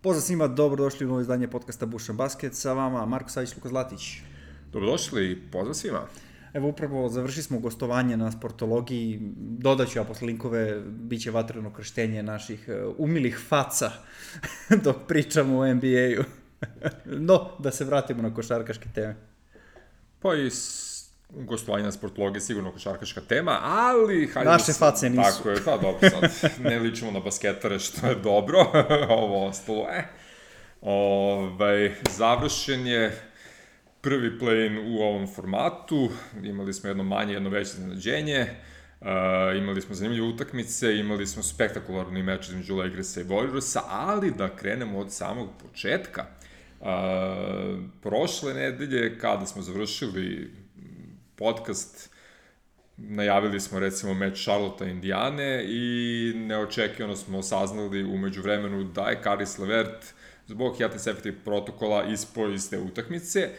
Pozdrav svima, dobrodošli u novo izdanje podcasta Bušan Basket, sa vama Marko Savić, Luka Zlatić. Dobrodošli i pozdrav svima. Evo upravo završili smo gostovanje na sportologiji, dodat ću ja posle linkove, bit će vatreno krštenje naših umilih faca dok pričamo o NBA-u. No, da se vratimo na košarkaške teme. Pa i gostovanje na sportologiji je sigurno košarkaška tema, ali... Naše face nisu. Tako je, pa dobro, sad ne ličimo na basketare, što je dobro, ovo ostalo, završen je prvi play-in u ovom formatu, imali smo jedno manje, jedno veće iznenađenje, imali smo zanimljive utakmice, imali smo spektakularni meč između Lakersa i Warriorsa, ali da krenemo od samog početka. Prošle nedelje, kada smo završili podcast, najavili smo recimo meč Charlotte Indijane i neočekivano smo saznali u međuvremenu da je Caris LeVert zbog Health and Safety protokola ispao iz te utakmice.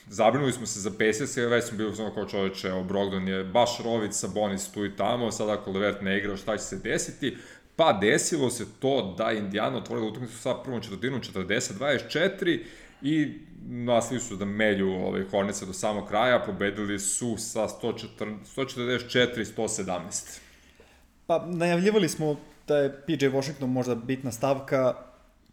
Zabrinuli smo se za Pacers, već smo bili kao čoveče, Brogdon je baš rovit, Sabonis tu i tamo, sad ako LeVert ne igra, šta će se desiti? Pa desilo se to da Indijana otvorila utakmicu sa prvom četvrtinom 40-24 i nastavili su da melju Hornetsa do samog kraja, pobedili su sa 144-117. Pa najavljivali smo da je PJ Washington možda bitna stavka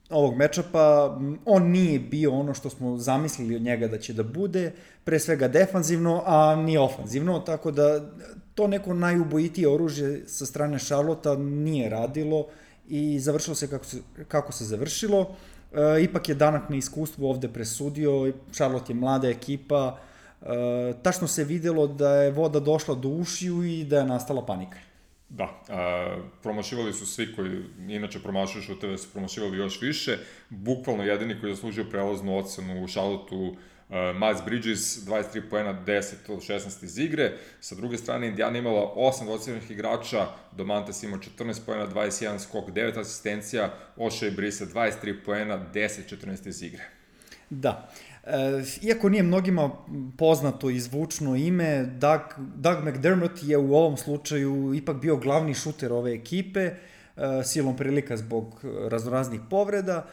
ovog mečapa. On nije bio ono što smo zamislili od njega da će da bude, pre svega defanzivno, a ni ofanzivno, tako da to neko najubojitije oružje sa strane Charlotta nije radilo i završilo se kako se završilo. Ipak je danak na iskustvu ovde presudio, Charlotte je mlada ekipa, tačno se videlo da je voda došla do ušiju i da je nastala panika. Da, promašivali su svi koji inače promašuju šuteve, su promašivali još više, bukvalno jedini koji je zaslužio prelaznu ocenu u Charlotteu, Miles Bridges, 23 poena, 10 od 16 iz igre. Sa druge strane, Indijana imala 8 dvocifrenih igrača, Domantas imao 14 poena, 21 skok, 9 asistencija, Oshae Brissett 23 poena, 10-14 iz igre. Da, iako nije mnogima poznato i zvučno ime, Doug McDermott je u ovom slučaju ipak bio glavni šuter ove ekipe, silom prilika zbog raznoraznih povreda.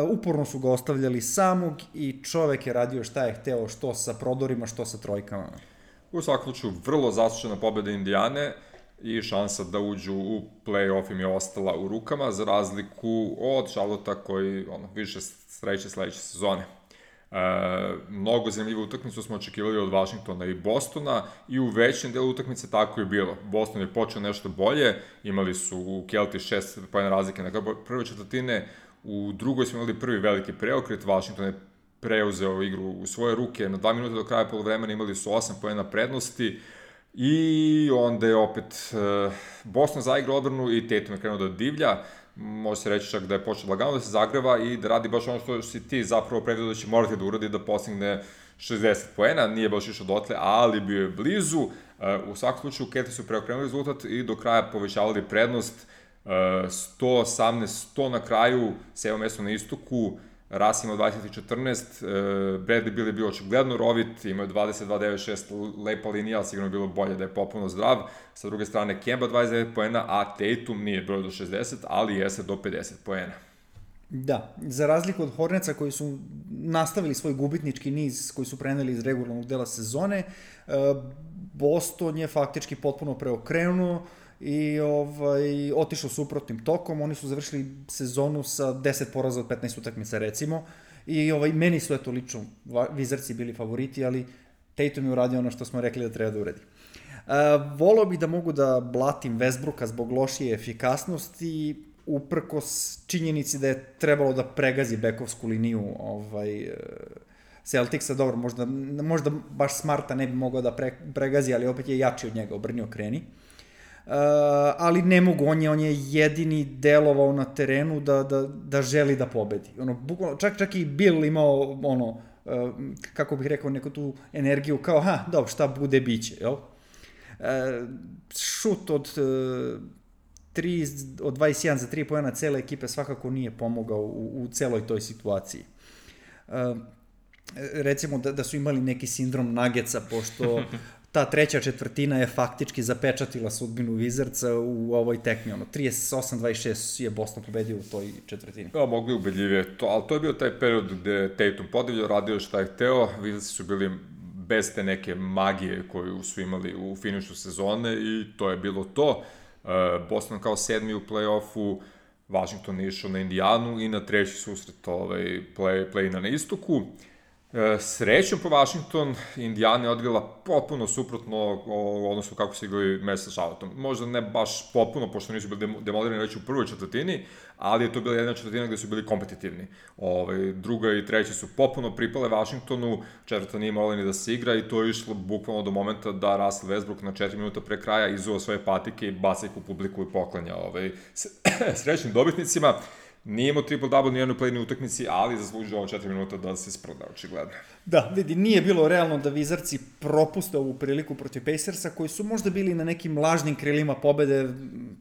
Uporno su ga ostavljali samog i čovek je radio šta je hteo, što sa prodorima, što sa trojkama. U svakom slučaju, vrlo zaslužena pobeda Indijane i šansa da uđu u play-off im je ostala u rukama, za razliku od Charlotta koji više sreće sledeće sezone. Mnogo zanimljivu utakmicu smo očekivali od Washingtona i Bostona i u većem delu utakmice tako je bilo. Boston je počeo nešto bolje, imali su u Kelti 6 pojena razlike na prve četvrtine, u drugoj smo imali prvi veliki preokret, Washington je preuzeo igru u svoje ruke, na 2 minuta do kraja poluvremena imali su 8 pojena prednosti i onda je opet Boston zaigrao odbranu i Tatum je krenuo da divlja. Može se reći čak da je počeo lagano da se zagreva i da radi baš ono što si ti zapravo predvidio da će morati da uradi, da postigne 60 poena, nije baš išao dotle, ali bio je blizu. U svakom slučaju, Kelti su preokrenuli rezultat i do kraja povećavali prednost, 118-100 na kraju, 7. mesto na istoku, Russ imao 20-14, Bradley Beal je bio očigledno rovit, imao je 22-9-6, lepa linija, ali sigurno je bilo bolje da je popuno zdrav. Sa druge strane, Kemba 29 poena, a Tatum nije broj do 60, ali jeste do 50 poena. Da, za razliku od Hornetsa koji su nastavili svoj gubitnički niz koji su preneli iz regularnog dela sezone, Boston je faktički potpuno preokrenuo i otišao suprotnim tokom. Oni su završili sezonu sa 10 poraza od 15 utakmica recimo i meni su lično Wizardsi bili favoriti, ali Tatum je uradio ono što smo rekli da treba da uradi. Voleo bih da mogu da blatim Westbrooka zbog lošije efikasnosti, uprkos činjenici da je trebalo da pregazi bekovsku liniju Celticsa. Dobro, možda baš Smarta ne bi mogao da pregazi, ali opet je jači od njega, obrnio kreni. Ali ne mogu, on je jedini delovao na terenu da želi da pobedi. Čak i Bill imao kako bih rekao, neku tu energiju kao, dobro, šta bude, biće, jel? Šut od 21 za 3 poena cele ekipe svakako nije pomogao u celoj toj situaciji. Recimo da su imali neki sindrom Nuggetsa, pošto ta treća četvrtina je faktički zapečatila sudbinu Wizardsa u ovoj tekmi. 38-26 je Boston pobedio u toj četvrtini. Da, mogli ubedljivije to, ali to je bio taj period gde Tatum podivljao, radio šta je hteo, Wizardsi su bili bez te neke magije koju su imali u finišu sezone i to je bilo to. Boston kao 7. u play-offu, Washington je išao na Indijanu i na treći susret play-ina na istoku. Srećom po Washington, Indijana je odigrala potpuno suprotno odnosno kako su igrali meč sa Charlotteom. Možda ne baš potpuno, pošto nisu bili demolirani već u prvoj četvrtini, ali je to bila jedna četvrtina gde su bili kompetitivni. Druga i treća su potpuno pripale Washingtonu, četvrta nije morala ni da se igra i to je išlo bukvalno do momenta da Russell Westbrook na 4 minuta pre kraja izuva svoje patike i baca ih u publiku i poklanja srećnim dobitnicima. Nije imao triple-double ni jednoj play-in utakmici, ali zaslužio ovo 4 minuta da se isproda, očigledno. Da, vidi, nije bilo realno da Wizardsi propuste ovu priliku protiv Pacersa, koji su možda bili na nekim lažnim krilima pobede,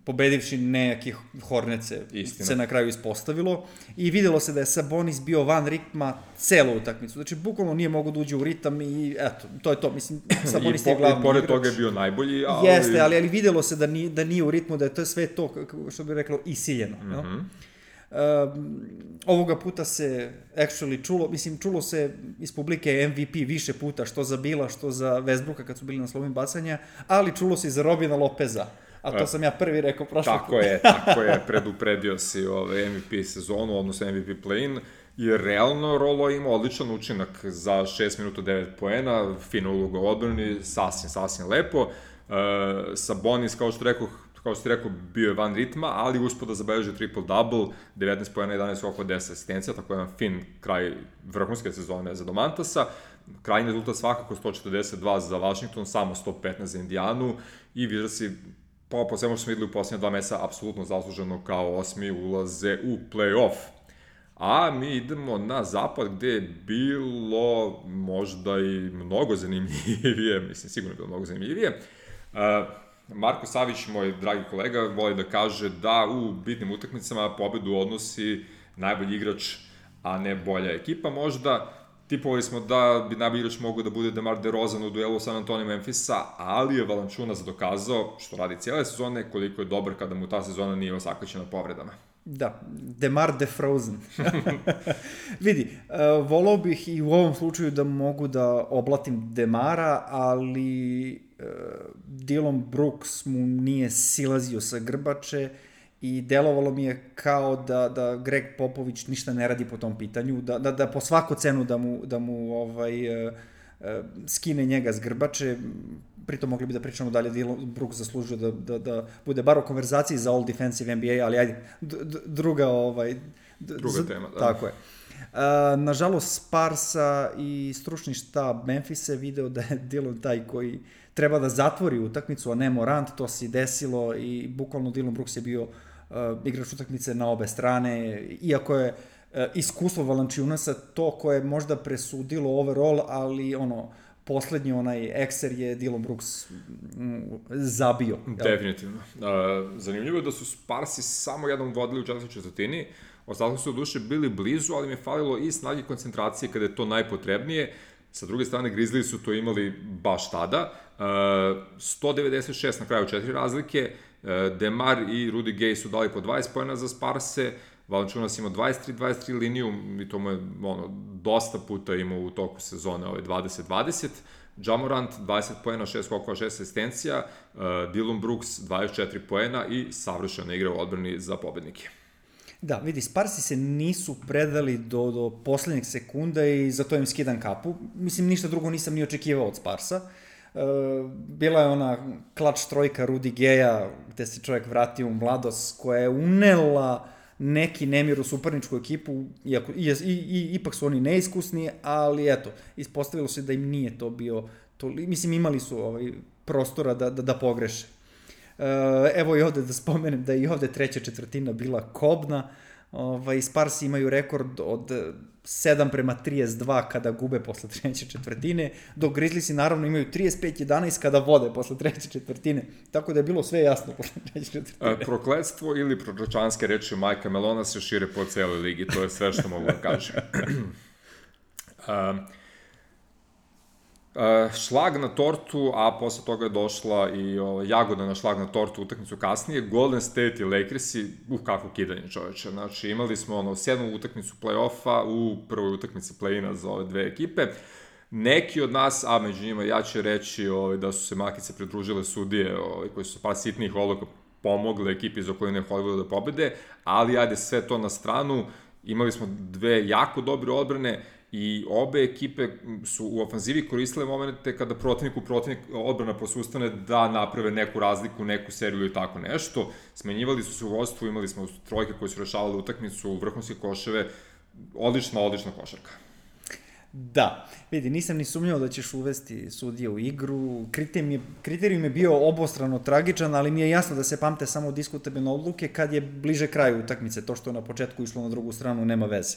pobedivši nekih Hornece, se na kraju ispostavilo. I videlo se da je Sabonis bio van ritma celu utakmicu. Znači, bukvalno nije mogo da uđe u ritam i eto, to je to. Mislim, Sabonis je glavni igrač. I pored toga je bio najbolji, ali... Jeste, ali videlo se da nije u ritmu, da je to sve to, što bi reklo, isiljeno. Ovoga puta se čulo se iz publike MVP više puta, što za Bila, što za Westbrooka kad su bili na slobodnim bacanja, ali čulo se i za Robina Lopeza, a to sam ja prvi rekao prošlo. Tako je, predupredio si MVP sezonu, odnosno MVP play-in, jer realno Rolo ima odličan učinak za 6 minuta 9 poena, fina uloga u odbrani, sasvim lepo. Sabonis, kao što ste rekao, bio je van ritma, ali uspio da zabeleži triple-double, 19 pojena, 11 skokova, 10 asistencija, tako jedan fin kraj vrhunske sezone za Domantasa. Krajnji rezultat svakako 142 za Washington, samo 115 za Indijanu i Wizardsi, po svemu što smo videli u posljednje 2 meseca, apsolutno zasluženo kao 8. ulaze u play-off. A mi idemo na zapad gde je bilo možda i mnogo zanimljivije, sigurno je bilo mnogo zanimljivije. Marko Savić, moj dragi kolega, voli da kaže da u bitnim utakmicama pobedu odnosi najbolji igrač, a ne bolja ekipa možda. Tipovali smo da bi najbolji igrač mogao da bude DeMar DeRozan u duelu San Antonio Memphisa, ali je Valanciunas dokazao, što radi cijele sezone, koliko je dobar kada mu ta sezona nije osakaćena povredama. Da, DeMar DeFrozen. Vidi, volao bih i u ovom slučaju da mogu da oblatim DeMara, ali Dillon Brooks mu nije silazio sa grbače i delovalo mi je kao da Greg Popović ništa ne radi po tom pitanju, da po svaku cenu da mu skine njega s grbače. Pritom mogli bi da pričamo dalje, Dillon Brooks zaslužuje da bude bar u konverzaciji za All Defensive NBA, ali ajde, druga tema, da. Tako je. Nažalost, Sparsa i stručni štab Memphisa je video da je Dillon taj koji treba da zatvori utakmicu, a ne Morant, to se desilo i bukvalno Dillon Brooks je bio igrač utakmice na obe strane, iako je iskustvo Valanciunasa to koje je možda presudilo overall, ali poslednji ekser je Dillon Brooks zabio. Definitivno. Zanimljivo je da su Sparsi samo jednom vodili u četvrtoj četvrtini, ostatkom su u duše bili blizu, ali mi je falilo i snage koncentracije kada je to najpotrebnije. Sa druge strane, Grizzlies su to imali baš tada. 196 na kraju 4 razlike. DeMar i Rudy Gay su dali po 20 pojena za Sparse. Valanciunas ima 23 liniju i to mu je dosta puta imao u toku sezone 20-20. Ja Morant 20 pojena, 6 skokova, 6 asistencija. Dillon Brooks 24 pojena i savršena igra u odbrani za pobednike. Da, vidi, Sparsi se nisu predali do poslednjeg sekunda i zato im skidam kapu. Mislim, ništa drugo nisam ni očekivao od Sparsa. Bila je ona klač trojka Rudy Gaya, gde se čovjek vratio u mladost, koja je unela neki nemir u suparničku ekipu, ipak su oni neiskusni, ali eto, ispostavilo se da im nije to bio, mislim, imali su prostora da pogreše. Evo i ovde da spomenem da je i ovde treća četvrtina bila kobna. Sparsi imaju rekord od 7-32 kada gube posle treće četvrtine, dok Grizzliesi naravno imaju 35-11 kada vode posle treće četvrtine. Tako da je bilo sve jasno posle treće četvrtine. Prokletstvo ili proročanske reči Majka Melona se šire po celoj ligi, to je sve što mogu da kažem. Šlag na tortu, a posle toga je došla i jagoda na šlag na tortu utakmicu kasnije, Golden State i Lakersi, kako kidanje čoveče. Znači, imali smo 7. utakmicu play-offa u prvoj utakmici play-ina za ove dve ekipe. Neki od nas, a među njima ja ću reći da su se makice pridružile sudije koji su par sitnih odluka pomogli ekipi iz okoline Hollywooda da pobede, ali ajde sve to na stranu, imali smo dve jako dobre odbrane i obe ekipe su u ofanzivi koristile momente kada protivnik odbrana posustane da naprave neku razliku, neku seriju i tako nešto. Smenjivali su se u vodstvu, imali smo trojke koje su rešavali utakmicu, vrhunske koševe, odlična košarka. Da, vidi, nisam ni sumnjao da ćeš uvesti sudije u igru, kriterijum je bio obostrano tragičan, ali mi je jasno da se pamte samo diskutabilne odluke kad je bliže kraju utakmice, to što je na početku išlo na drugu stranu nema veze.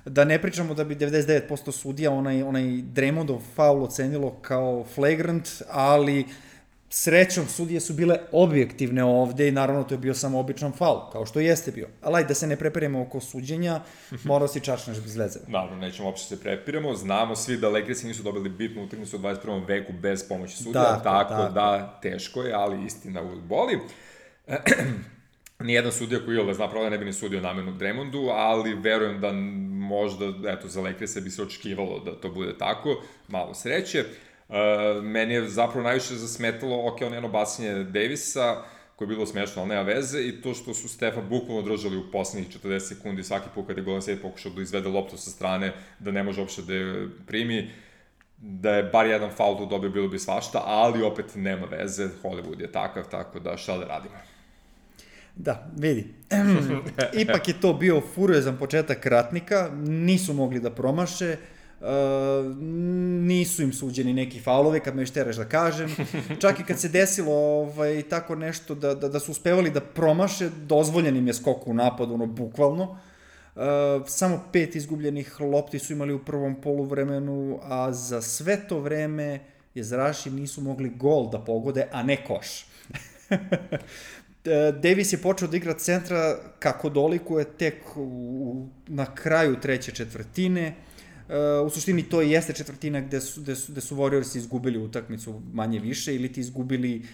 Da ne pričamo da bi 99% sudija onaj Draymondov faul ocenilo kao flagrant, ali srećom sudije su bile objektivne ovde i naravno to je bio samo običan faul, kao što jeste bio. Ali da se ne preperemo oko suđenja, morao si čačneš bez veze. Naravno, nećemo uopšte se prepiramo, znamo svi da Lakersi nisu dobili bitnu utakmicu u 21. veku bez pomoći sudija, tako da teško je, ali istina uvijek boli. Nijedan sudija koji zna pravo da ne bi ni sudio namerno Draymondu, ali verujem da možda, za Lakerse bi se očekivalo da to bude tako, malo sreće. Meni je zapravo najviše zasmetalo, ono jedno bacanje Davisa, koje je bilo smešno, ali nema veze, i to što su Stefa bukvalno držali u poslednjih 40 sekundi svaki put kada je Golden State pokušao da izvede loptu sa strane, da ne može uopšte da je primi, da je bar jedan faul tu dobio, bilo bi svašta, ali opet nema veze, Hollywood je takav, tako da šta da radimo. Da, vidi, ipak je to bio furiozan početak ratnika, nisu mogli da promaše, nisu im suđeni neki faulovi, kad me još teraš da kažem, čak i kad se desilo tako nešto da su uspevali da promaše, dozvoljen im je skok u napadu, bukvalno. Samo 5 izgubljenih lopti su imali u prvom poluvremenu, a za sve to vreme jezeraši nisu mogli gol da pogode, a ne koš. Davis je počeo da igra centra kako dolikuje tek na kraju treće četvrtine. U suštini to i jeste četvrtina gde su Warriors izgubili utakmicu manje više ili ti izgubili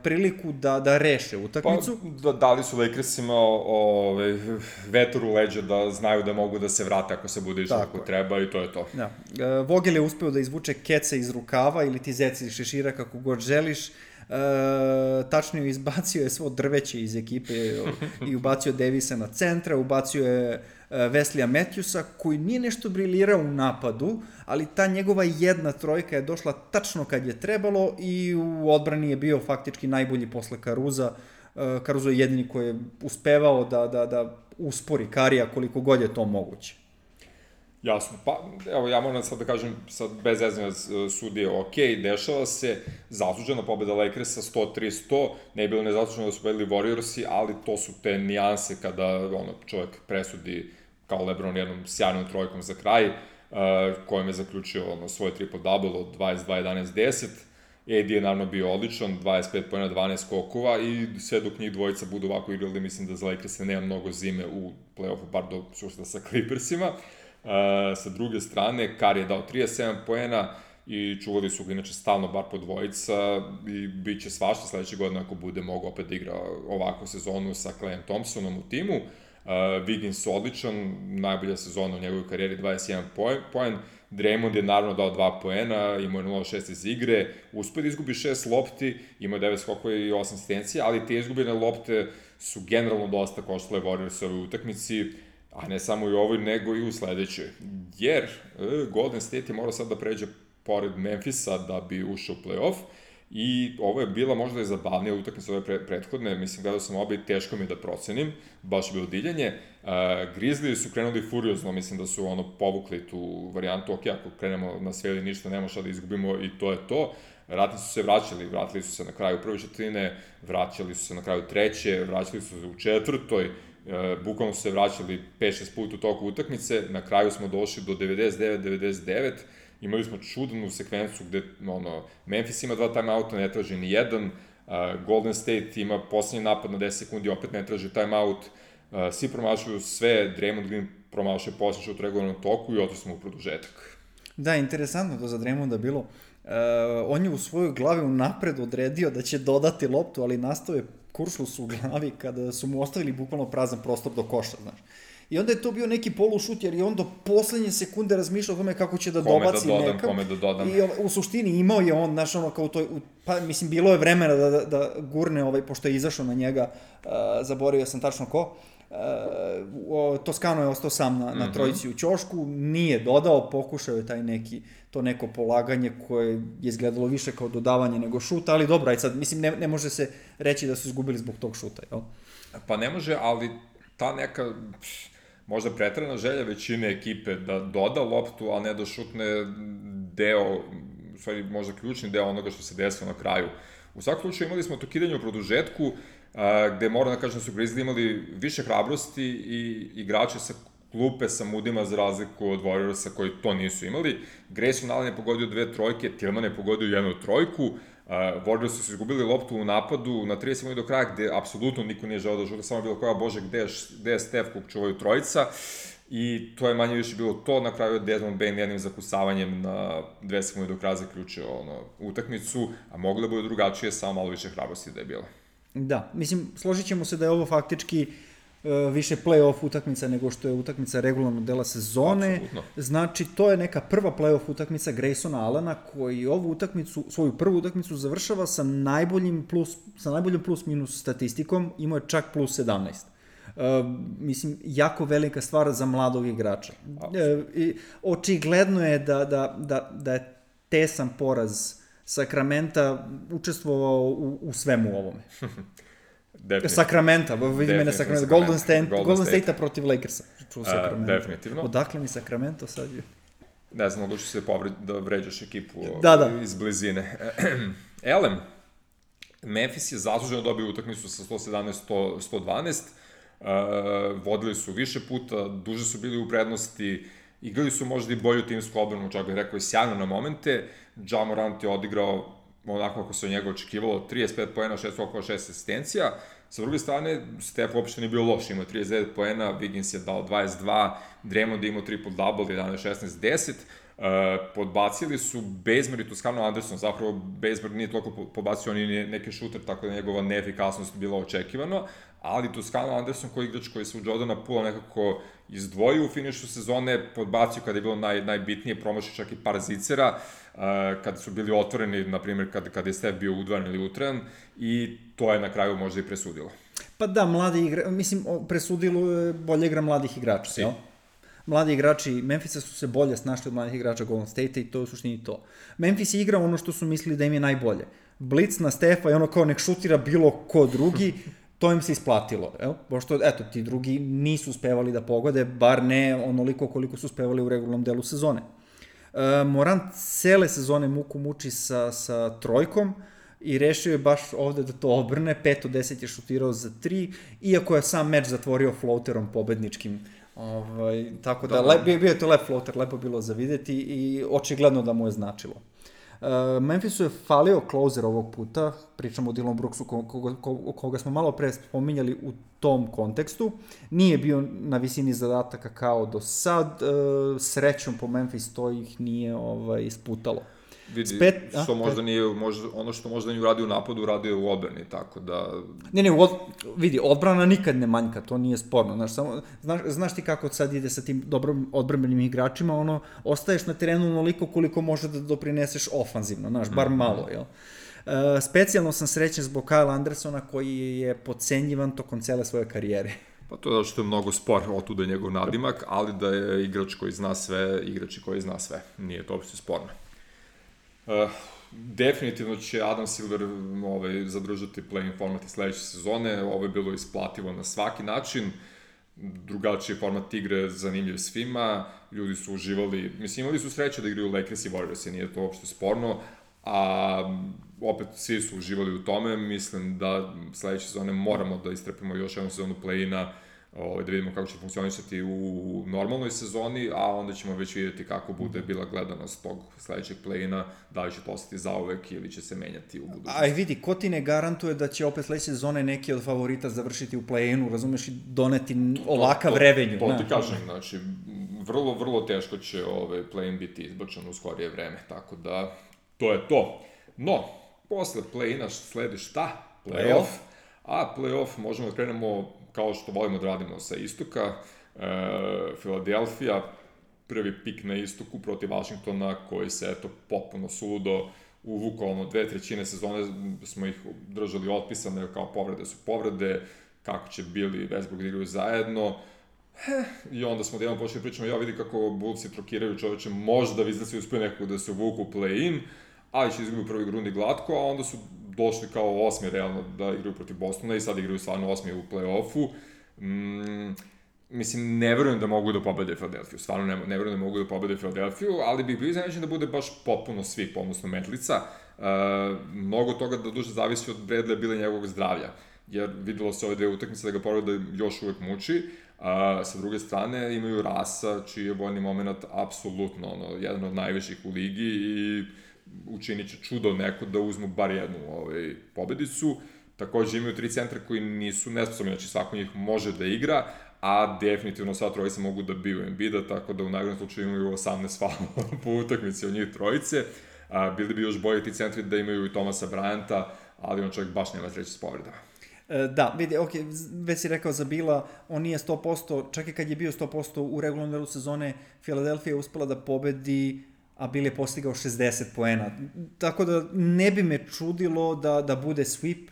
priliku da reše utakmicu. Pa dali su Lakersima vetar u leđa da znaju da mogu da se vrate ako se bude išlo kako treba i to je to. Da. Vogel je uspeo da izvuče keca iz rukava ili ti zeci iz šešira kako god želiš. Tačnije izbacio je svo drveće iz ekipe i ubacio Davisa na centra, ubacio je Wesleya Matthewsa koji nije nešto briljirao u napadu, ali ta njegova jedna trojka je došla tačno kad je trebalo i u odbrani je bio faktički najbolji posle Caruza. Caruso je jedini koji je uspevao da uspori Karija koliko god je to moguće. Jasno, pa evo ja moram sad da kažem, sad bez zezanja sudije, ok, dešava se, zaslužena pobeda Lakersa 103-100, ne je bilo nezasluženo da su pobedili Warriorsi, ali to su te nijanse kada čovjek presudi kao LeBron jednom sjajnom trojkom za kraj, kojom je zaključio svoj triple-double od 22-11-10, AD je naravno bio odličan, 25 pojena, 12 skokova i sve dok njih dvojica budu ovako igrali, mislim da za Lakersa nema mnogo zime u play-offu, bar do susreta sa Clippersima. Sa druge strane, Curry je dao 37 poena i čuvali su ga inače stalno bar po dvojica i bit će svašta sledeće godine ako bude mogo opet da igra ovakvu sezonu sa Clayem Thompsonom u timu. Wiggins odličan, najbolja sezona u njegovoj karijeri, 21 poen. Draymond je naravno dao 2 poena, imao je 0-6 iz igre, uspio da izgubi 6 lopti, imao je 9 skokova i 8 asistencija, ali te izgubljene lopte su generalno dosta koštale Warriors u ovoj utakmici, a ne samo i u ovoj, nego i u sledećoj. Jer Golden State je morao sad da pređe pored Memphisa da bi ušao u play-off i ovo je bila možda i zabavnija utakmica ove prethodne, mislim gledao sam obe i teško mi je da procenim, baš je bilo divljanje. Grizzlies su krenuli furiozno, mislim da su povukli tu varijantu, ok, ako krenemo na sve ili ništa, nema šta da izgubimo i to je to. Ratnici su se vratili su se na kraju prve četvrtine, vraćali su se na kraju treće, vraćali su se u četvrtoj, bukvalno su se vraćali 5-6 puta u toku utakmice, na kraju smo došli do 99-99, imali smo čudnu sekvencu gde Memphis ima 2 timeouta, ne traži ni jedan, Golden State ima poslednji napad na 10 sekundi, opet ne traži timeout, svi promašuju sve, Draymond Green promašuje poslednji šut u regularnom toku i otišli smo u produžetak. Da, interesantno to za Draymonda bilo. On je u svojoj glavi unapred odredio da će dodati loptu, ali nastao je kuršlus u glavi kada su mu ostavili bukvalno prazan prostor do koša, znaš. I onda je to bio neki polušut, jer je on do poslednje sekunde razmišljao o tome kako će da dobaci nekam. Kome da dodam. I u suštini imao je on, znaš, ono, kao toj, pa mislim, bilo je vremena da gurne, pošto je izašao na njega, zaboravio sam tačno ko, Toskano je ostao sam na trojici u ćošku, nije dodao, pokušao je to neko polaganje koje je izgledalo više kao dodavanje nego šuta, ali dobro, aj sad, mislim, ne može se reći da su izgubili zbog tog šuta, jel? Pa ne može, ali ta neka možda pretrana želja većine ekipe da doda loptu, a ne da šutne deo, u stvari možda ključni deo onoga što se desilo na kraju. U svakom slučaju imali smo to kidanje u produžetku, gde moram da kažem da su Grizzly imali više hrabrosti i igrače sa klupe sa Moodyma za razliku od Warriorsa koji to nisu imali. Grayson Allen je pogodio 2 trojke, Tillman je pogodio 1 trojku, Warriors su izgubili loptu u napadu na 30 minuta do kraja gde apsolutno niko nije želeo da žuta, samo bilo koja, bože, gde je Steph kog čuvaju trojica, i to je manje više bilo to. Na kraju je Desmond Bane jednim zakucavanjem na 2 sekunde do kraja zaključio utakmicu, a moglo da bude drugačije, samo malo više hrabrosti da je bilo. Da, mislim, složit ćemo se da je ovo faktički više play-off utakmica nego što je utakmica regularnog dela sezone. Absolutno. Znači, to je neka prva play-off utakmica Graysona Allena koji ovu utakmicu, svoju prvu utakmicu završava sa najboljim plus-minus statistikom, imao je čak plus 17. Mislim, jako velika stvar za mladog igrača. Očigledno je da je tesan poraz Sakramenta učestvovao u svemu ovome. Sakramenta, vidi mene Sakramenta, Golden State-a protiv Lakersa. Definitivno. Odakle mi Sakramento sad je? Ne znam, odluči se da vređaš ekipu iz blizine. Elem, Memphis je zasluženo dobio utakmicu sa 117-112, vodili su više puta, duže su bili u prednosti, igrali su možda i bolju timsku odbranu, čak bih rekao i sjajno na momente. Ja Morant je odigrao onako kako se od njega očekivalo, 35 poena, 6 skokova, 6 asistencija. Sa druge strane, Steph uopšte nije bio loš, imao 39 poena, Wiggins je dao 22, Draymond je imao triple-double, 11-16-10. Podbacili su Bazemore i Toscano Anderson, zapravo Bazemore nije toliko podbacio, on je neki šuter, tako da njegova neefikasnost bila očekivano, ali Toscano Anderson koji igrač koji se u Jordana Poola nekako izdvojio u finišu sezone, podbacio kada je bilo najbitnije, promašio čak i par zicera, kada su bili otvoreni, na primjer kada je Steph bio udvaran ili utran, i to je na kraju možda i presudilo. Pa da, presudilo je bolja igra mladih igrača, jel? Mladi igrači Memphisa su se bolje snašli od mladih igrača Golden State-a i to je u suštini to. Memphis je igrao ono što su mislili da im je najbolje. Blitz na Stefa i ono kao nek šutira bilo ko drugi, to im se isplatilo, jel? Pošto, eto, ti drugi nisu uspevali da pogode, bar ne onoliko koliko su uspevali u regularnom delu sezone. Morant cele sezone muku muči sa trojkom i rešio je baš ovde da to obrne, 5 od 10 je šutirao za 3, iako je sam meč zatvorio floaterom pobedničkim. Tako da, bio je to lep floater, lepo bilo za videti i očigledno da mu je značilo. Memphisu je falio closer ovog puta, pričamo o Dillonu Brooksu koga smo malo pre spominjali u tom kontekstu, nije bio na visini zadataka kao do sad, srećom po Memphis to ih nije isputalo. Vidi, što možda nije, ono što možda nije uradio u napadu, uradio je u odbrani, tako da... Vidi, odbrana nikad ne manjka, to nije sporno, znaš ti kako sad ide sa tim dobrom odbranbenim igračima, ostaješ na terenu onoliko koliko može da doprineseš ofanzivno, bar malo, jel? Specijalno sam srećen zbog Kyle Andersona koji je podcenjivan tokom cele svoje karijere. Pa to je zato što je mnogo spor, otuda je njegov nadimak, ali da je igrač koji zna sve, koji zna sve, nije to uopšte sporno. Definitivno će Adam Silver zadržati play-in format i sledeće sezone, ovo je bilo isplativo na svaki način, drugačiji format igre, zanimljiv svima, ljudi su uživali, mislim imali su sreće da igraju Lakers i Warriors, nije to uopšte sporno, a opet svi su uživali u tome, mislim da sledeće sezone moramo da istrepimo još jednu sezonu play-ina, da vidimo kako će funkcionisati u normalnoj sezoni, a onda ćemo već vidjeti kako bude bila gledanost tog sledećeg play-ina, da li će to ostati zauvek ili će se menjati u budućnosti. Aj vidi, ko ti ne garantuje da će opet sledeće sezone neki od favorita završiti u play-inu, razumeš, i doneti ovakav revenju. To ti kažem, vrlo teško će play-in biti izbačen u skorije vreme, tako da to je to. No, posle play-ina sledi šta? Play-off. A play-off možemo da krenemo kao što volimo da radimo sa istoka. Philadelphia, prvi pik na istoku protiv Washingtona, koji se, eto, potpuno suludo uvukao, 2/3 sezone smo ih držali otpisane, kao povrede su povrede, kako će Billy i Westbrook da igraju zajedno. I onda smo jedan počeli pričamo, ja vidi kako Bullsi trokiraju čoveče, možda Wizardsi uspiju nekako da se uvuku u play-in, ali će izgubiti u prvoj rundi glatko, a onda su došli kao osmi realno da igraju protiv Bostona i sad igraju stvarno osmi u play-offu. Mislim, ne verujem da mogu da pobede Philadelphia, stvarno ne verujem da mogu da pobede Philadelphia, ali bih bio iznenađen da bude baš potpuno svih, odnosno metlica. Mnogo toga da duže zavisi od Bradleya bila njegovog zdravlja, jer videlo se ove dve utakmice da ga povreda još uvek muči. Sa druge strane imaju Rasa, čiji je vojni moment apsolutno jedan od najviših u ligi i učinit će čudo neko da uzmu bar jednu pobedicu. Takođe imaju 3 centra koji nisu nesposobni, znači svako njih može da igra, a definitivno sva trojica mogu da biju Embida, tako da u najgorem slučaju imaju 18 faulova po utakmici od njih trojice. Bili bi još bolji ti centri da imaju i Thomasa Bryanta, ali on čovjek baš nema sreće s povredama. Da, vidi, već si rekao za Bila, on nije 100%, čak i kad je bio 100% u regularnom delu sezone, Philadelphia je uspela da pobedi, a Bill je postigao 60 poena. Tako da ne bi me čudilo da bude sweep,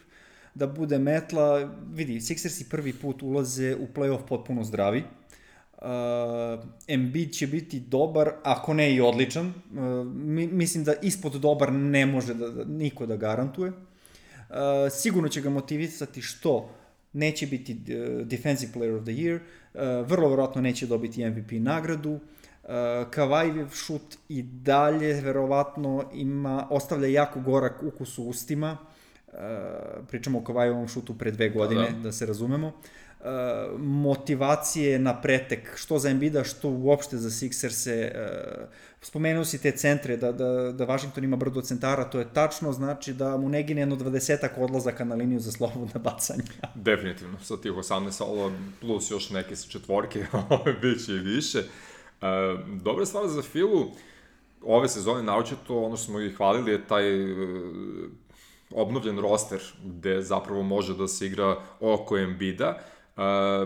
da bude metla. Vidi, Sixersi prvi put ulaze u playoff potpuno zdravi. Embiid će biti dobar, ako ne i odličan. Mislim da ispod dobar ne može niko da garantuje. Sigurno će ga motivisati što neće biti Defensive Player of the Year, vrlo verovatno neće dobiti MVP nagradu. Kavajjev šut i dalje verovatno ostavlja jako gorak ukus u ustima. Pričamo o Kavajevom šutu pre 2 godine, da se razumemo. Motivacije na pretek, što za Embida, što uopšte za Sixerse. Spomenuo si te centre, da Washington ima brdo centara, to je tačno, znači da mu ne gine jedno 20-ak odlazaka na liniju za slobodna bacanja. Definitivno, sa tih 18 faulova plus još neke sa četvorke, bit će i više. Dobra stvar za Philu, ove sezone naročito, ono što smo ih hvalili je taj obnovljen roster gde zapravo može da se igra oko Embida.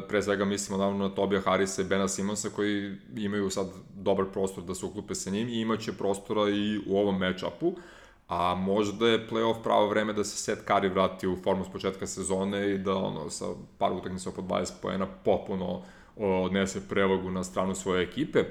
Pre svega mislimo naravno na Tobija Harrisa i Bena Simonsa koji imaju sad dobar prostor da se uklupe sa njim i imaće prostora i u ovom match-upu, a možda je playoff pravo vreme da se Seth Curry vrati u formu s početka sezone i da sa par utakmica po 20 poena potpuno odnese prevagu na stranu svoje ekipe.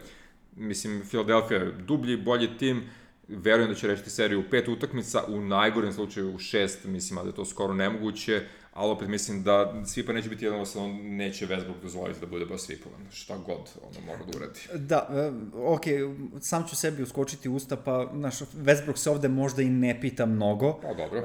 Mislim, Philadelphia je dublji, bolji tim, verujem da će rešiti seriju u 5 utakmica, u najgorem slučaju u 6, mislim da je to skoro nemoguće, ali opet mislim da svipa neće biti jednostavno, neće Westbrook dozvoliti da bude baš svipovan, šta god ono mora da uradi. Da, sam ću sebi uskočiti usta, pa Westbrook se ovde možda i ne pita mnogo. Pa dobro.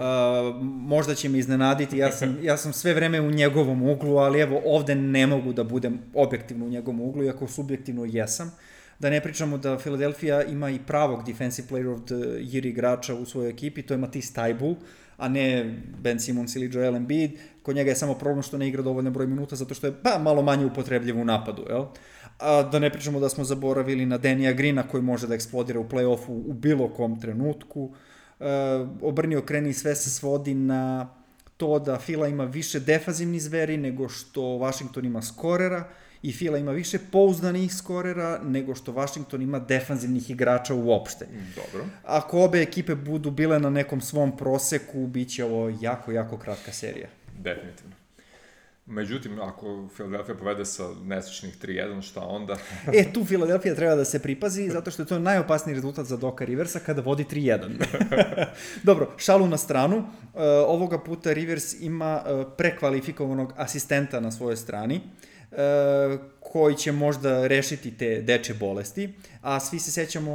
Možda će me iznenaditi, ja sam sve vreme u njegovom uglu, ali evo ovde ne mogu da budem objektivno u njegovom uglu, iako subjektivno jesam. Da ne pričamo da Philadelphia ima i pravog Defensive Player of the Year igrača u svojoj ekipi, to je Matisse Thybulle, a ne Ben Simmons ili Joel Embiid. Kod njega je samo problem što ne igra dovoljno broj minuta, zato što je malo manje upotrebljiv u napadu, jel? A da ne pričamo da smo zaboravili na Danija Greena koji može da eksplodira u play-offu u bilo kom trenutku. Obrni okreni sve se svodi na to da Phila ima više defanzivnih zveri nego što Washington ima skorera, i Phila ima više pouzdanih skorera nego što Washington ima defanzivnih igrača uopšte. Dobro. Ako obe ekipe budu bile na nekom svom proseku, bit će ovo jako, jako kratka serija. Definitivno. Međutim, ako Philadelphia povede sa nesečnih 3-1, šta onda? Tu Philadelphia treba da se pripazi, zato što je to najopasniji rezultat za Doka Riversa kada vodi 3-1. Dobro, šalu na stranu. Ovoga puta Rivers ima prekvalifikovanog asistenta na svojoj strani, koji će možda rešiti te dečje bolesti, a svi se sećamo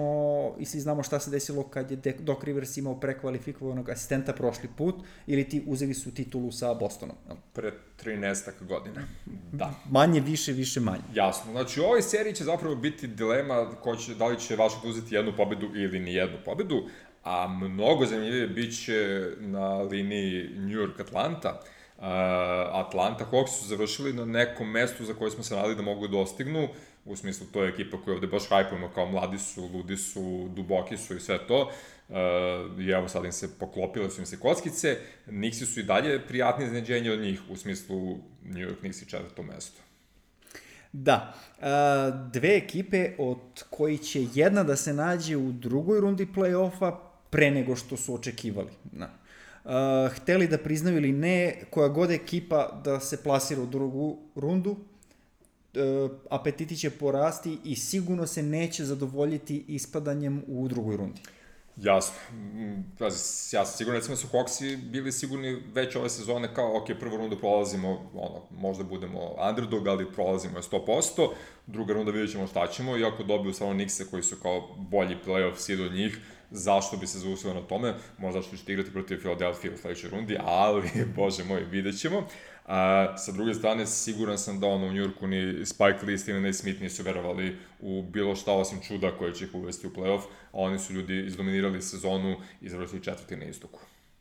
i svi znamo šta se desilo kad je Doc Rivers imao prekvalifikovanog asistenta prošli put, ili uzeli su titulu sa Bostonom. Pre 13 godina. Da. Manje, više, manje. Jasno. Znači, u ovoj seriji će zapravo biti dilema da li će Washington uzeti jednu pobedu ili ni jednu pobedu, a mnogo zanimljivije bit će na liniji New York-Atlanta. Atlanta Hawks su završili na nekom mestu za koje smo se nadali da mogu dostignu, u smislu to je ekipa koju ovde baš hajpujemo kao mladi su, ludi su, duboki su i sve to, i evo sad im se poklopile su im se kockice, Knicksi su i dalje prijatni iznenađenje od njih, u smislu New York Knicks i 4. mesto. Da, dve ekipe od koji će jedna da se nađe u drugoj rundi play-offa pre nego što su očekivali. Hteli da priznaju ili ne, koja god ekipa da se plasira u drugu rundu, apetiti će porasti i sigurno se neće zadovoljiti ispadanjem u drugoj rundi. Jasno. Ja sam sigurno, recimo su Hawksi bili sigurni već ove sezone kao, ok, prvu rundu prolazimo, možda budemo underdog, ali prolazimo je 100%, druga runda vidjet ćemo šta ćemo, i ako dobiju samo Knickse koji su kao bolji playoff seed od njih, zašto bi se zaustavio na tome, možda što ćete igrati protiv Philadelphia u sledećoj rundi, ali, bože moj, vidjet ćemo. Sa druge strane, siguran sam da u New Yorku ni Spike Lee, Stephen A. Smith nisu verovali u bilo šta osim čuda koje će ih uvesti u playoff, a oni su ljudi izdominirali sezonu i završili 4. na istoku.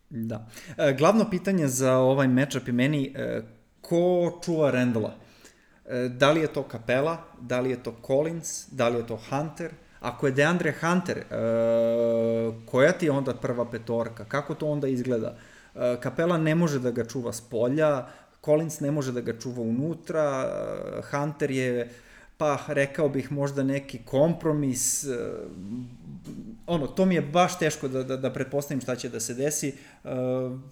Da. Glavno pitanje za ovaj matchup je meni ko čuva Randalla? Da li je to Capela, da li je to Collins, da li je to Hunter? Ako je DeAndre Hunter, koja ti je onda prva petorka? Kako to onda izgleda? Capela ne može da ga čuva s polja, Collins ne može da ga čuva unutra, Hunter je, pa rekao bih možda neki kompromis, to mi je baš teško da pretpostavim šta će da se desi,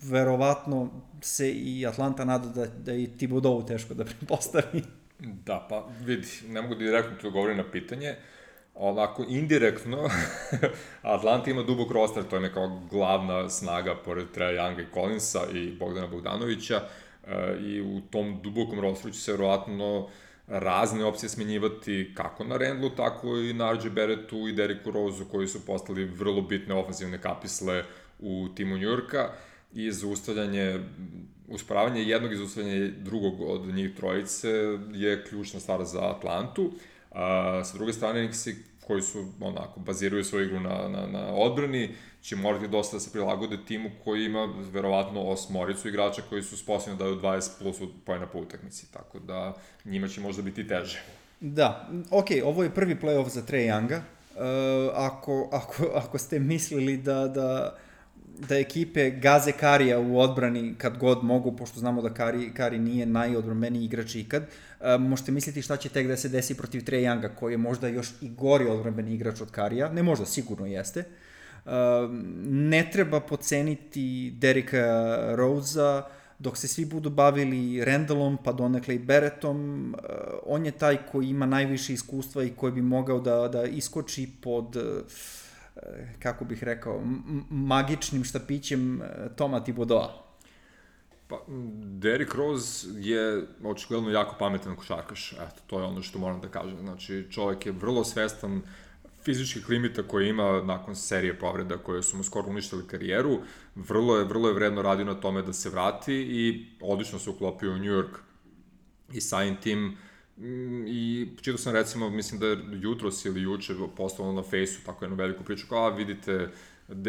verovatno se i Atlanta nada da i Thibodeau teško da pretpostavi. Da, pa vidi, ne mogu direktno ti odgovoriti na pitanje, onako indirektno, Atlanta ima dubok roster, to je kao glavna snaga pored Treja Younga i Collinsa i Bogdana Bogdanovića, i u tom dubokom rosteru će se verovatno razne opcije smenjivati kako na Randlu, tako i na RJ Barrettu i Derricku Roseu, koji su postali vrlo bitne ofenzivne kapisle u timu New Yorka, i usporavanje jednog i zaustavljanje drugog od njih trojice je ključna stvar za Atlantu. Sa druge strane, Knicksi koji su, baziraju svoju igru na odbrani, će morati dosta da se prilagode timu koji ima verovatno 8 igrača koji su sposobni da daju 20 plus poena po utakmici, tako da njima će možda biti teže. Da, ovo je prvi playoff za Trae Younga. Ako ste mislili da ekipe gaze Karija u odbrani kad god mogu, pošto znamo da Kari nije najodbranbeniji igrač ikad, možete misliti šta će tek da se desi protiv Trae Younga, koji je možda još i gori odbranbeni igrač od Karija, ne možda, sigurno jeste. Ne treba poceniti Derricka Rosea, dok se svi budu bavili Randallom, pa donekle i Barrettom, on je taj koji ima najviše iskustva i koji bi mogao da iskoči pod, kako bih rekao, magičnim štapićem Toma Thibodeau. Pa, Derrick Rose je očigledno jako pametan košarkaš, eto, to je ono što moram da kažem. Znači, čovjek je vrlo svestan fizičkih limita koje ima nakon serije povreda koje su mu skoro uništili karijeru, vrlo je vredno radio na tome da se vrati i odlično se uklopio u New York. I samim tim, i čitao sam recimo, mislim da je jutros ili juče postavljeno na Fejsu tako jednu veliku priču, kao vidite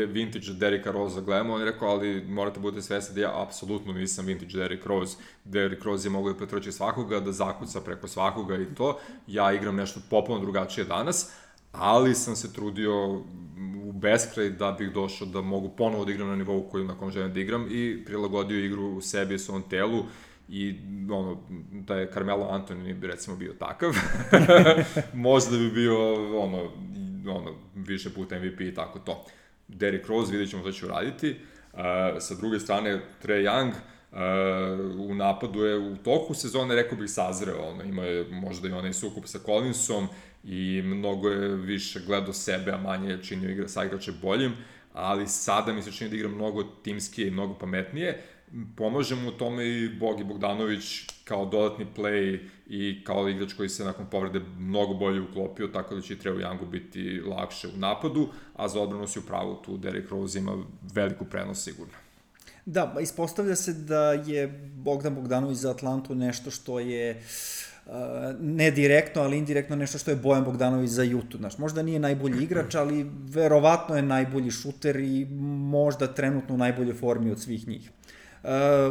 vintage Derricka Rosea gledamo, on je rekao, ali morate budete svesni da ja apsolutno nisam vintage Derrick Rose. Derrick Rose je mogao da pretrči svakoga, da zakuca preko svakoga i to. Ja igram nešto popolno drugačije danas, ali sam se trudio u beskraj da bih došao da mogu ponovo da igram na nivou na kom želim da igram i prilagodio igru u sebi i svom telu. I da je Carmelo Anthony recimo bio takav, možda bi bio više puta MVP i tako to. Derrick Rose, vidjet ćemo što će uraditi. Sa druge strane, Trae Young u napadu je u toku sezone, rekao bih, sazreo. Ima je možda i onaj sukup sa Collinsom i mnogo je više gledao sebe, a manje je činio sa igrače boljim, ali sada mi se čini da igra mnogo timskije i mnogo pametnije. Pomaže mu u tome i Bogi Bogdanović kao dodatni play i kao igrač koji se nakon povrede mnogo bolje uklopio, tako da će i Trae Youngu biti lakše u napadu, a za odbranu si u pravu, tu Derrick Rose ima veliku prednost sigurno. Da, ispostavlja se da je Bogdan Bogdanović za Atlantu nešto što je ne direktno, ali indirektno nešto što je Bojan Bogdanović za Utah. Znaš, možda nije najbolji igrač, ali verovatno je najbolji šuter i možda trenutno u najboljoj formi od svih njih.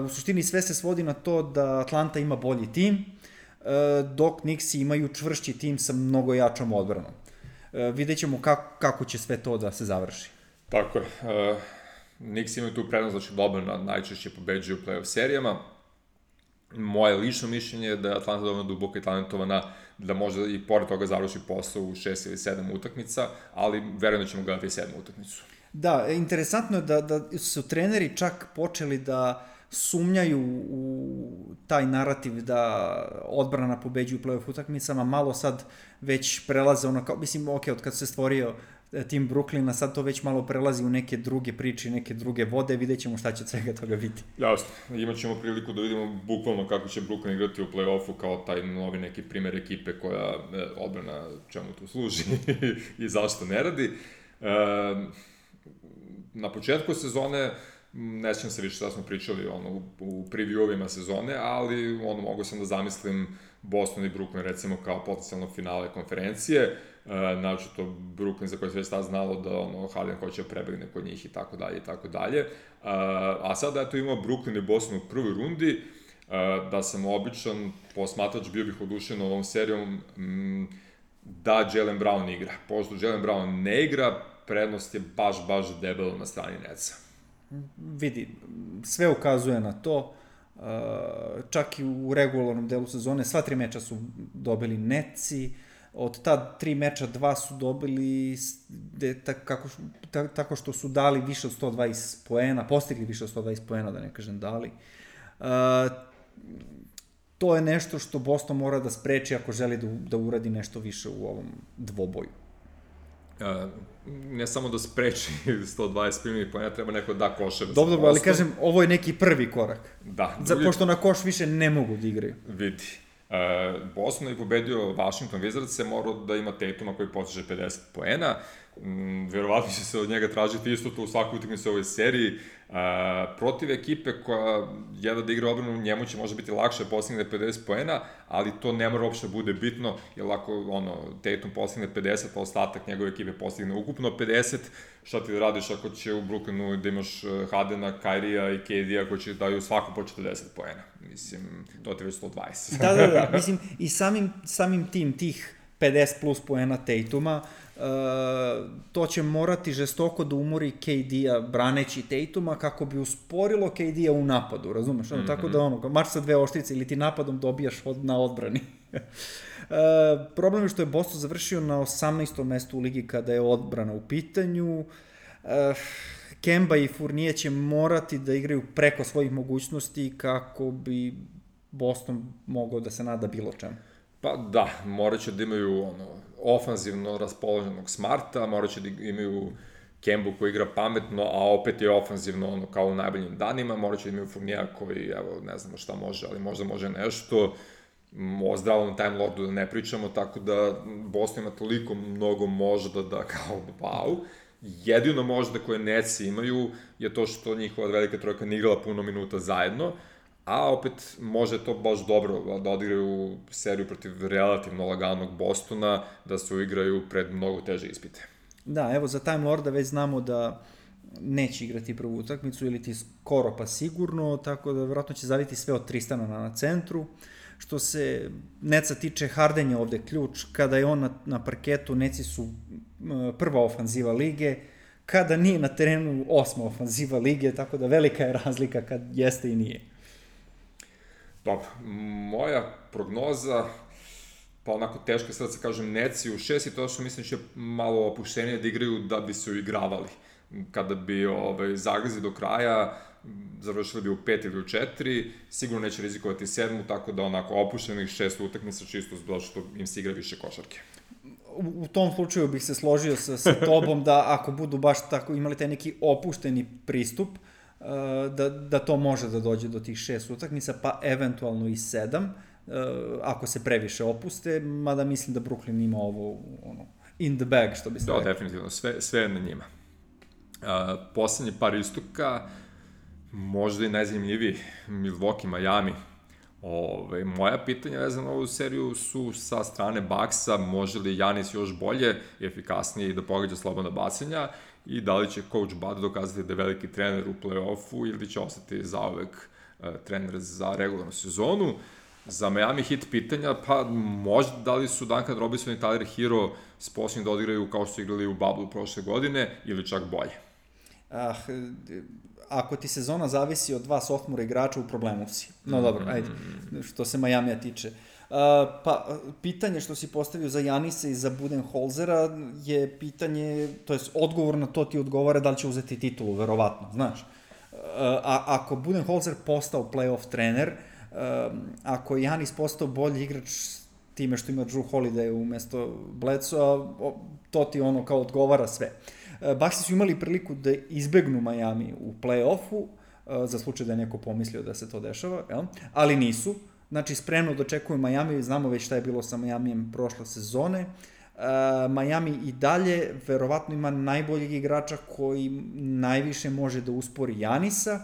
U suštini sve se svodi na to da Atlanta ima bolji tim, dok Knicksi imaju čvršći tim sa mnogo jačom odbranom. Vidjet ćemo kako će sve to da se završi. Tako je. Knicks imaju tu prednost, znači dobro najčešće pobeđuju u play-off serijama. Moje lično mišljenje je da je Atlanta dovoljno duboka i talentovana da može i pored toga završi posao u 6 ili 7 utakmica, ali verujem da ćemo gledati 7 utakmicu. Da, interesantno je da su treneri čak počeli da sumnjaju u taj narativ da odbrana pobeđuju u play-off utakmicama, malo sad već prelaze ono kao, mislim, ok, od kad se stvorio tim Brooklyna, sad to već malo prelazi u neke druge priče, neke druge vode, vidjet ćemo šta će od svega toga biti. Jasno, imat ćemo priliku da vidimo bukvalno kako će Brooklyn igrati u play-offu kao taj novi neki primer ekipe koja odbrana čemu tu služi i zašto ne radi. Na početku sezone, ne sjećam se više šta smo pričali u preview-ovima sezone, ali mogu sam da zamislim Boston i Brooklyn recimo kao potencijalno finale konferencije, znači to Brooklyn za koje se već tad znalo da Harden hoće prebegne kod njih i tako dalje i tako dalje. A sada eto imamo Brooklyn i Boston u prvoj rundi, da sam običan posmatrač bio bih odušen ovom serijom da Jaylen Brown igra. Pošto Jaylen Brown ne igra, prednost je baš debelo na strani Netsa. Vidi, sve ukazuje na to, čak i u regularnom delu sezone, sva 3 meča su dobili Netsi, od ta 3 meča 2 su dobili tako što su dali više od 120 poena, postigli više od 120 poena, da ne kažem dali. To je nešto što Boston mora da spreči ako želi da uradi nešto više u ovom dvoboju. Ne samo da spreči 120 primjenih poena, treba neko da koše. Dobro, ali kažem, ovo je neki prvi korak. Da. Pošto na koš više ne mogu da igraju. Vidi. Boston je pobedio Washington Wizards, morao da ima Tatuma koji postiže 50 poena. Verovatno će se od njega tražiti isto to u svakoj utakmici u ovoj seriji. Protiv ekipe koja jedva da igra obranu, njemu će možda biti lakše postigne 50 poena, ali to ne mora uopšte bude bitno, jer ako Tatum postigne 50, pa ostatak njegove ekipe postigne ukupno 50, šta ti da radiš ako će u Brooklynu da imaš Hardena, Kyrieja i KD-a koji će daju svako po 40 poena. Mislim, to ti već 120. Da, mislim, i samim tih 50 plus poena Tatuma, to će morati žestoko da umori KD-a braneći Tatuma kako bi usporilo KD-a u napadu, razumeš? Tako da marš sa 2 oštrice ili ti napadom dobijaš na odbrani. Problem je što je Boston završio na 18. mestu u ligi kada je odbrana u pitanju. Kemba i Fournier će morati da igraju preko svojih mogućnosti kako bi Boston mogao da se nada bilo čemu. Pa da, morat će da imaju ofanzivno raspoloženog Smarta, morat će da imaju Kembu koji igra pametno, a opet je ofanzivno kao u najboljim danima, morat će da imaju Fourniera koji, evo, ne znamo šta može, ali možda može nešto, o zdravom Time Lordu da ne pričamo, tako da Boston ima toliko mnogo možda da kao wow. Jedino možda koje Netsi imaju je to što njihova velika trojka ne igrala puno minuta zajedno, a opet može to baš dobro da odigraju seriju protiv relativno laganog Bostona, da se uigraju pred mnogo teže ispite. Da, evo za Time Lorda već znamo da neće igrati prvu utakmicu ili ti skoro pa sigurno, tako da vjerojatno će zaviti sve od Tristana na centru. Što se Netsa tiče, Harden je ovde ključ. Kada je on na parketu, Netsi su prva ofanziva lige, kada nije na terenu 8. ofanziva lige, tako da velika je razlika kad jeste i nije. Dobro, moja prognoza, pa onako teško sad se kažem Netsi u 6 i to što mislim će malo opuštenije da igraju da bi se uigravali. Kada bi zagrizi do kraja, završili bi u 5 ili u 4, sigurno neće rizikovati 7, tako da onako opuštenih 6 utakmica čisto zbog što im se igra više košarke. U tom slučaju bih se složio sa tobom da ako budu baš tako imali taj neki opušteni pristup, da to može da dođe do tih 6 utakmica, pa eventualno i 7, ako se previše opuste, mada mislim da Brooklyn ima ovo in the bag, što bi se rekao. Da, definitivno, sve je na njima. Poslednji par istoka, možda i najzanimljiviji, Milwaukee, Miami. Moja pitanja vezana na ovu seriju su sa strane Bucksa, može li Giannis još bolje i efikasnije da pogađa slobodna bacanja, i da li će coach Bud dokazati da je veliki trener u play-offu ili će ostati zauvek trener za regularnu sezonu. Za Miami Heat pitanja, pa možda da li su Duncan Robinson i Tyler Hero sposobni da odigraju kao što su igrali u bubble prošle godine ili čak bolje? Ako ti sezona zavisi od dva sophomore igrača, u problemu si. No dobro, ajde, što se Majamija tiče. Pa, pitanje što si postavio za Janisa i za Budenholzera je pitanje, to je odgovor na to ti odgovara da li će uzeti titulu, verovatno, znaš. Ako Budenholzer postao playoff trener, ako je Janis postao bolji igrač time što ima Drew Holiday umesto Bledsoe, to ti ono kao odgovara sve. Bucksi su imali priliku da izbegnu Miami u play-offu, za slučaj da je neko pomislio da se to dešava, jel? Ali nisu. Znači, spremno dočekuju Miami, znamo već šta je bilo sa Miamijem prošle sezone. Miami i dalje verovatno ima najboljeg igrača koji najviše može da uspori Janisa.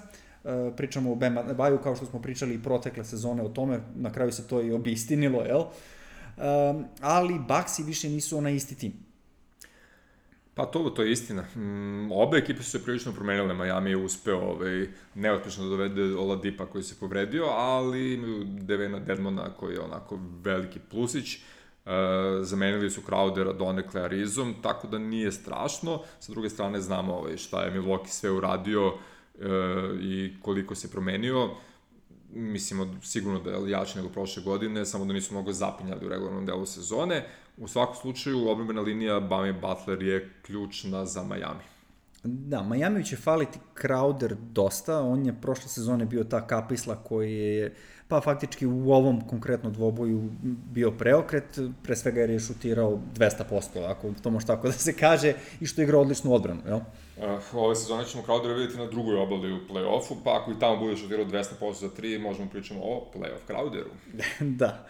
Pričamo o Bam Adebayu, kao što smo pričali i protekle sezone o tome, na kraju se to i obistinilo, jel? Ali Bucksi više nisu onaj isti tim. Pa to je istina. Obe ekipe su se prilično promenile. Miami je uspeo neuspešno da dovede Oladipa koji se povredio, ali imaju Devena Dedmona koji je onako veliki plusić. Zamenili su Crowdera donekle Arizom, tako da nije strašno. Sa druge strane znamo šta je Milwaukee sve uradio i koliko se promenio. Mislimo sigurno da je jači nego prošle godine, samo da nisu mnogo zapinjali u regularnom delu sezone. U svakom slučaju, odbrambena linija Bami Butler je ključna za Miami. Da, Miami će faliti Crowder dosta, on je prošle sezone bio ta kapisla koji je, pa faktički u ovom konkretno dvoboju bio preokret, pre svega jer je šutirao 200%, ako to može tako da se kaže, i što je igrao odličnu odbranu, jel? Ove sezone ćemo Crowdera vidjeti na drugoj obali u play-offu, pa ako i tamo bude šutirao 200% za 3, možemo pričamo o play-off Crowderu. Da.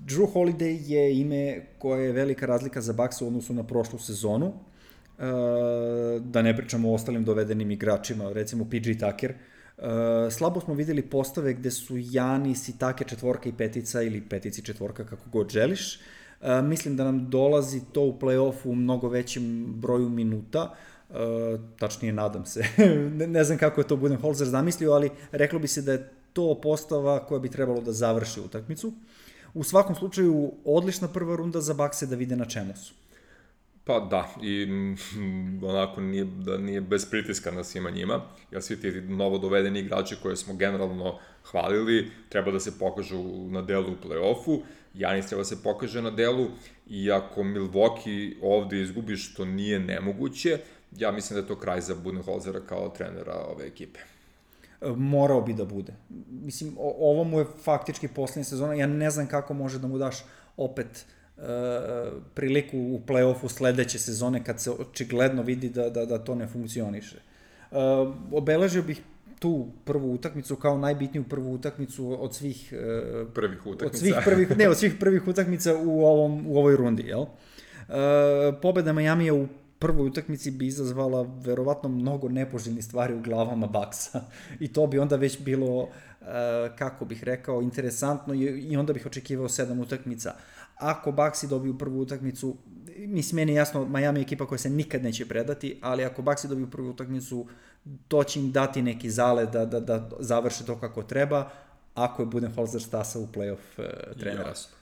Drew Holiday je ime koje je velika razlika za Bucks u odnosu na prošlu sezonu. Da ne pričamo o ostalim dovedenim igračima, recimo PG Tucker. Slabo smo videli postave gde su Janis i Tucker četvorka i petica ili petici četvorka, kako god želiš. Mislim da nam dolazi to u play-offu u mnogo većem broju minuta, tačnije nadam se. Ne znam kako je to Budenholzer zamislio, ali reklo bi se da je to postava koja bi trebalo da završi utakmicu. U svakom slučaju, odlična prva runda za Buckse da vide na čemu su. Pa da, i onako nije bez pritiska na svima njima, jer svi ti novo dovedeni igrači koje smo generalno hvalili treba da se pokažu na delu u play-offu, Janis treba da se pokaže na delu, i ako Milwaukee ovde izgubi, što nije nemoguće, ja mislim da je to kraj za Budenholzera kao trenera ove ekipe. Morao bi da bude. Mislim, ovo mu je faktički poslednja sezona, ja ne znam kako može da mu daš opet priliku u play-offu sledeće sezone kad se očigledno vidi da to ne funkcioniše. Obeležio bih tu prvu utakmicu kao najbitniju prvu utakmicu od svih prvih utakmica. Od svih prvih utakmica u ovoj rundi, jel? Pobeda Majamija u prvoj utakmici bi izazvala verovatno mnogo nepoželjnih stvari u glavama Bucksa i to bi onda već bilo, kako bih rekao, interesantno i onda bih očekivao 7 utakmica. Ako Bucksi dobiju prvu utakmicu, mislim, meni je jasno, Miami je ekipa koja se nikad neće predati, ali ako Bucksi dobiju prvu utakmicu, to će im dati neki zale da završe to kako treba, ako je Budenholzer stasa u play-off trenera. Jasno.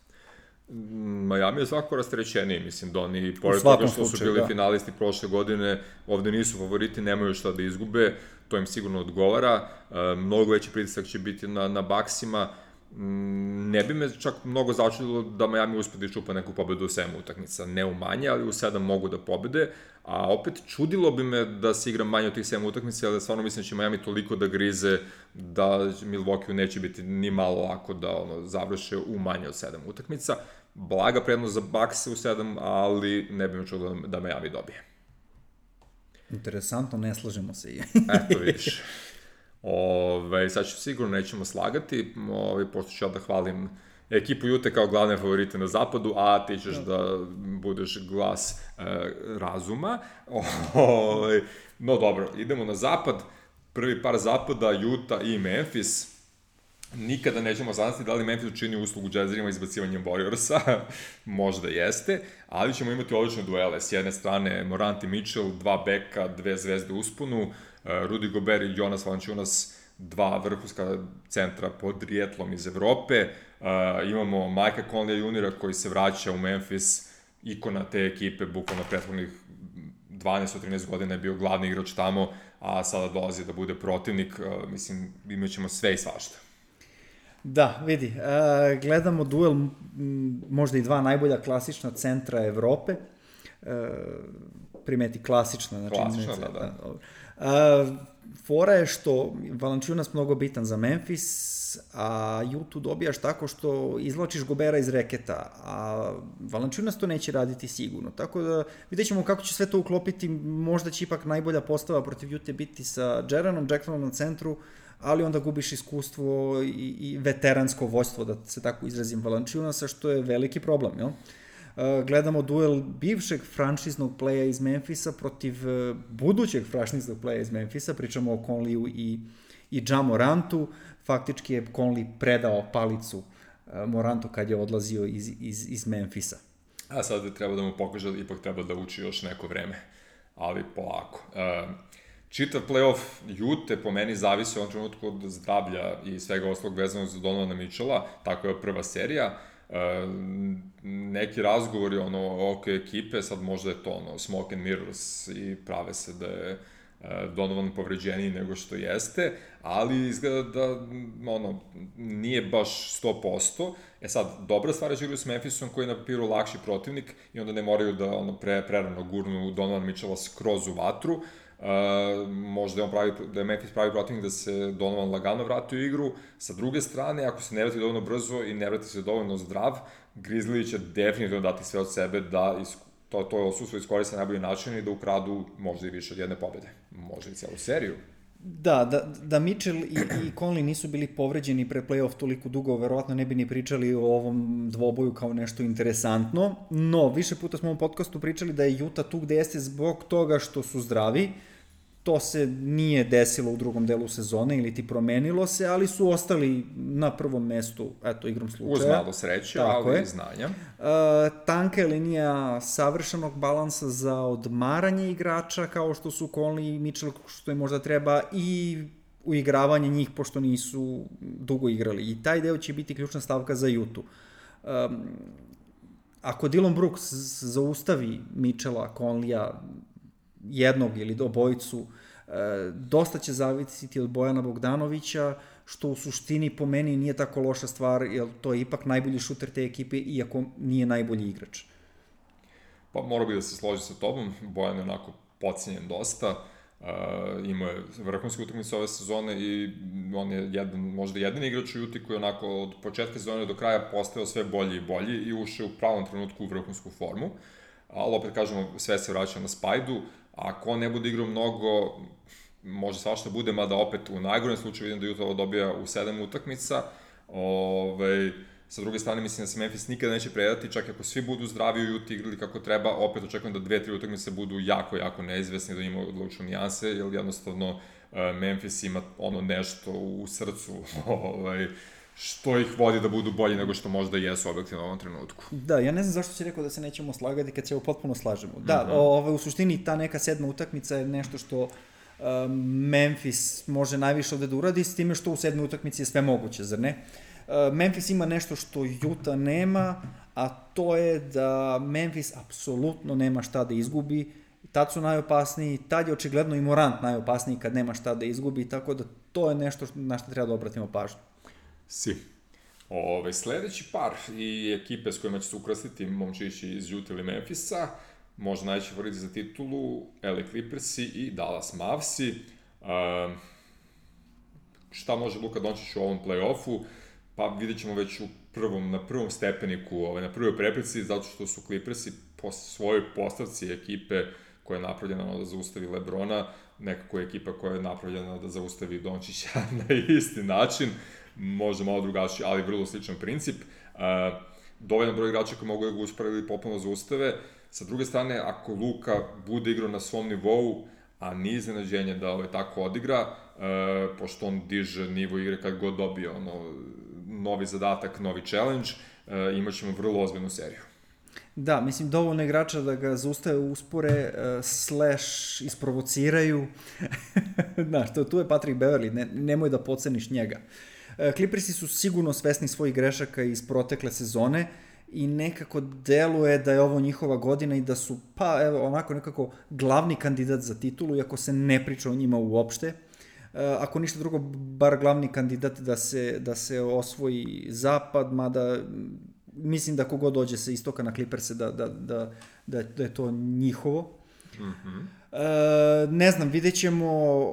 Miami je svako rastrećeniji, mislim da oni, pored toga što su bili finalisti prošle godine, ovde nisu favoriti, nemaju šta da izgube, to im sigurno odgovara, mnogo veći pritisak će biti na Bucksima. Ne bi me čak mnogo začudilo da Miami uspe da iščupa neku pobedu u 7 utakmica, ne u manje, ali u 7 mogu da pobede, a opet čudilo bi me da se igra manje od tih 7 utakmica, ali stvarno mislim da će Miami toliko da grize da Milwaukee neće biti ni malo lako da završe u manje od 7 utakmica. Blaga prednost za Bucks u 7, ali ne bi me čudilo da Miami dobije. Interesantno, ne slažemo se i. Eto vidiš. Sad ću sigurno nećemo slagati, pošto ću ja da hvalim ekipu Jute kao glavne favorite na zapadu, a ti ćeš da budeš glas razuma. No dobro, idemo na zapad. Prvi par zapada, Utah i Memphis. Nikada nećemo saznati da li Memphis učini uslugu Jazzerima izbacivanjem Warriorsa, možda jeste, ali ćemo imati odlične duele. S jedne strane Morant i Mitchell, dva beka, dve zvezde usponu, Rudy Gobert i Jonas Valanciunas, dva vrhunska centra pod rijetlom iz Evrope. Imamo Mike'a Conleya juniora koji se vraća u Memphis, ikona te ekipe, bukvalno prethodnih 12-13 godina je bio glavni igrač tamo, a sada dolazi da bude protivnik. Mislim, imat ćemo sve i svašta. Da, vidi, gledamo duel možda i dva najbolja klasična centra Evrope. Primeti klasična. Znači, klasična, da. Fora je što Valanciunas mnogo bitan za Memphis, a Utah dobijaš tako što izvlačiš Gobera iz reketa, a Valanciunas to neće raditi sigurno. Tako da vidjet ćemo kako će sve to uklopiti, možda će ipak najbolja postava protiv Utah biti sa Jaranom Jacksonom na centru, ali onda gubiš iskustvo i veteransko vođstvo, da se tako izrazim, Valanciunasa, što je veliki problem, jel? Gledamo duel bivšeg franšiznog playa iz Memphisa protiv budućeg franšiznog playa iz Memphisa, pričamo o Conleyu i Ja Morantu. Faktički je Conley predao palicu Morantu kad je odlazio iz Memphisa. A sad treba da mu pokaže da ipak treba da uči još neko vreme, ali polako. Čitav playoff Utah po meni zavisi u ovom trenutku od zdravlja i svega ostalog vezanog za Donovana Mitchella, tako je prva serija. Neki razgovori oko ekipe, sad možda je to smoke and mirrors i prave se da je Donovan povređeniji nego što jeste, ali izgleda da nije baš 100%. Sad, dobra stvar je da igraju s Memphisom koji je na papiru lakši protivnik i onda ne moraju da prerano gurnu Donovan Mitchella skroz u vatru. Možda je Memphis pravi protivnik da se Donovan lagano vrati u igru. Sa druge strane, ako se ne vrati dovoljno brzo i ne vrati se dovoljno zdrav, Grizzly će definitivno dati sve od sebe da to odsustvo iskoriste na najbolji način i da ukradu možda i više od jedne pobjede. Možda i cijelu seriju. Da Mitchell i Conley nisu bili povređeni pre play-off toliko dugo, verovatno ne bi ni pričali o ovom dvoboju kao nešto interesantno, no više puta smo u podcastu pričali da je Utah tu gde jeste zbog toga što su zdravi. To se nije desilo u drugom delu sezone ili ti promenilo se, ali su ostali na prvom mestu, eto, igrom slučaja. Uz malo sreće, ali i znanja. Tanka je linija savršenog balansa za odmaranje igrača, kao što su Conley i Mitchell, što je možda treba, i uigravanje njih, pošto nisu dugo igrali. I taj deo će biti ključna stavka za Utah. Ako Dillon Brooks zaustavi Mitchella, Conleya, jednog ili obojicu, dosta će zavisiti od Bojana Bogdanovića, što u suštini po meni nije tako loša stvar, jer to je ipak najbolji šuter te ekipe, iako nije najbolji igrač. Pa morao bi da se složi sa tobom, Bojan je onako podcenjen dosta, imao je vrhunske utakmice ove sezone i on je možda jedan igrač u Utah koji onako od početka sezone do kraja postao sve bolji i bolji i ušao u pravom trenutku u vrhunsku formu. Ali opet kažemo, sve se vraća na Spajdu. Ako on ne bude igrao mnogo, može svašta bude, mada opet u najgorem slučaju vidim da Utah dobija u 7 utakmica. Sa druge strane, mislim da se Memphis nikada neće predati, čak ako svi budu zdravi u Utah igrali kako treba, opet očekujem da 2-3 utakmice budu jako, jako neizvesni, da ima odlučne nijanse, jer jednostavno Memphis ima nešto u srcu, što ih vodi da budu bolji nego što možda jesu objektivno u ovom trenutku. Da, ja ne znam zašto si rekao da se nećemo slagati kad se ovo potpuno slažemo. Da, u suštini ta neka 7. utakmica je nešto što Memphis može najviše ovde da uradi, s time što u 7. utakmici je sve moguće, zar ne? Memphis ima nešto što Utah nema, a to je da Memphis apsolutno nema šta da izgubi. Tad su najopasniji, tad je očigledno i Morant najopasniji kad nema šta da izgubi, tako da to je nešto na što treba da obratimo pažnju. Sledeći par i ekipe s kojima će se ukrstiti momčići iz Utah ili Memphisa, možda najveći favoriti za titulu, LA Clippersi i Dallas Mavsi. Šta može Luka Dončić u ovom play-offu? Pa vidjet ćemo već na prvom stepeniku, na prvoj prepreci, zato što su Clippersi po svojoj postavci ekipe koja je napravljena da zaustavi LeBrona, nekako je ekipa koja je napravljena da zaustavi Dončića na isti način, možda malo drugačiji, ali vrlo sličan princip. Dovoljan broj igrača koji mogu da ga usporedi potpuno zaustave. Sa druge strane, ako Luka bude igrao na svom nivou, a nije iznenađenje da tako odigra, pošto on diže nivo igre kad god dobije novi zadatak, novi challenge, imat ćemo vrlo ozbiljnu seriju. Da, mislim, dovoljno igrača da ga zaustave, uspore, slash isprovociraju. Znaš, tu je Patrick Beverley, nemoj da podceniš njega. Clippersi su sigurno svesni svojih grešaka iz protekle sezone i nekako deluje da je ovo njihova godina i da su, onako nekako glavni kandidat za titulu, iako se ne priča o njima uopšte. Ako ništa drugo, bar glavni kandidat da se osvoji zapad, mada mislim da kogod dođe sa istoka na Clipperse da je to njihovo. Ne znam, vidjet ćemo.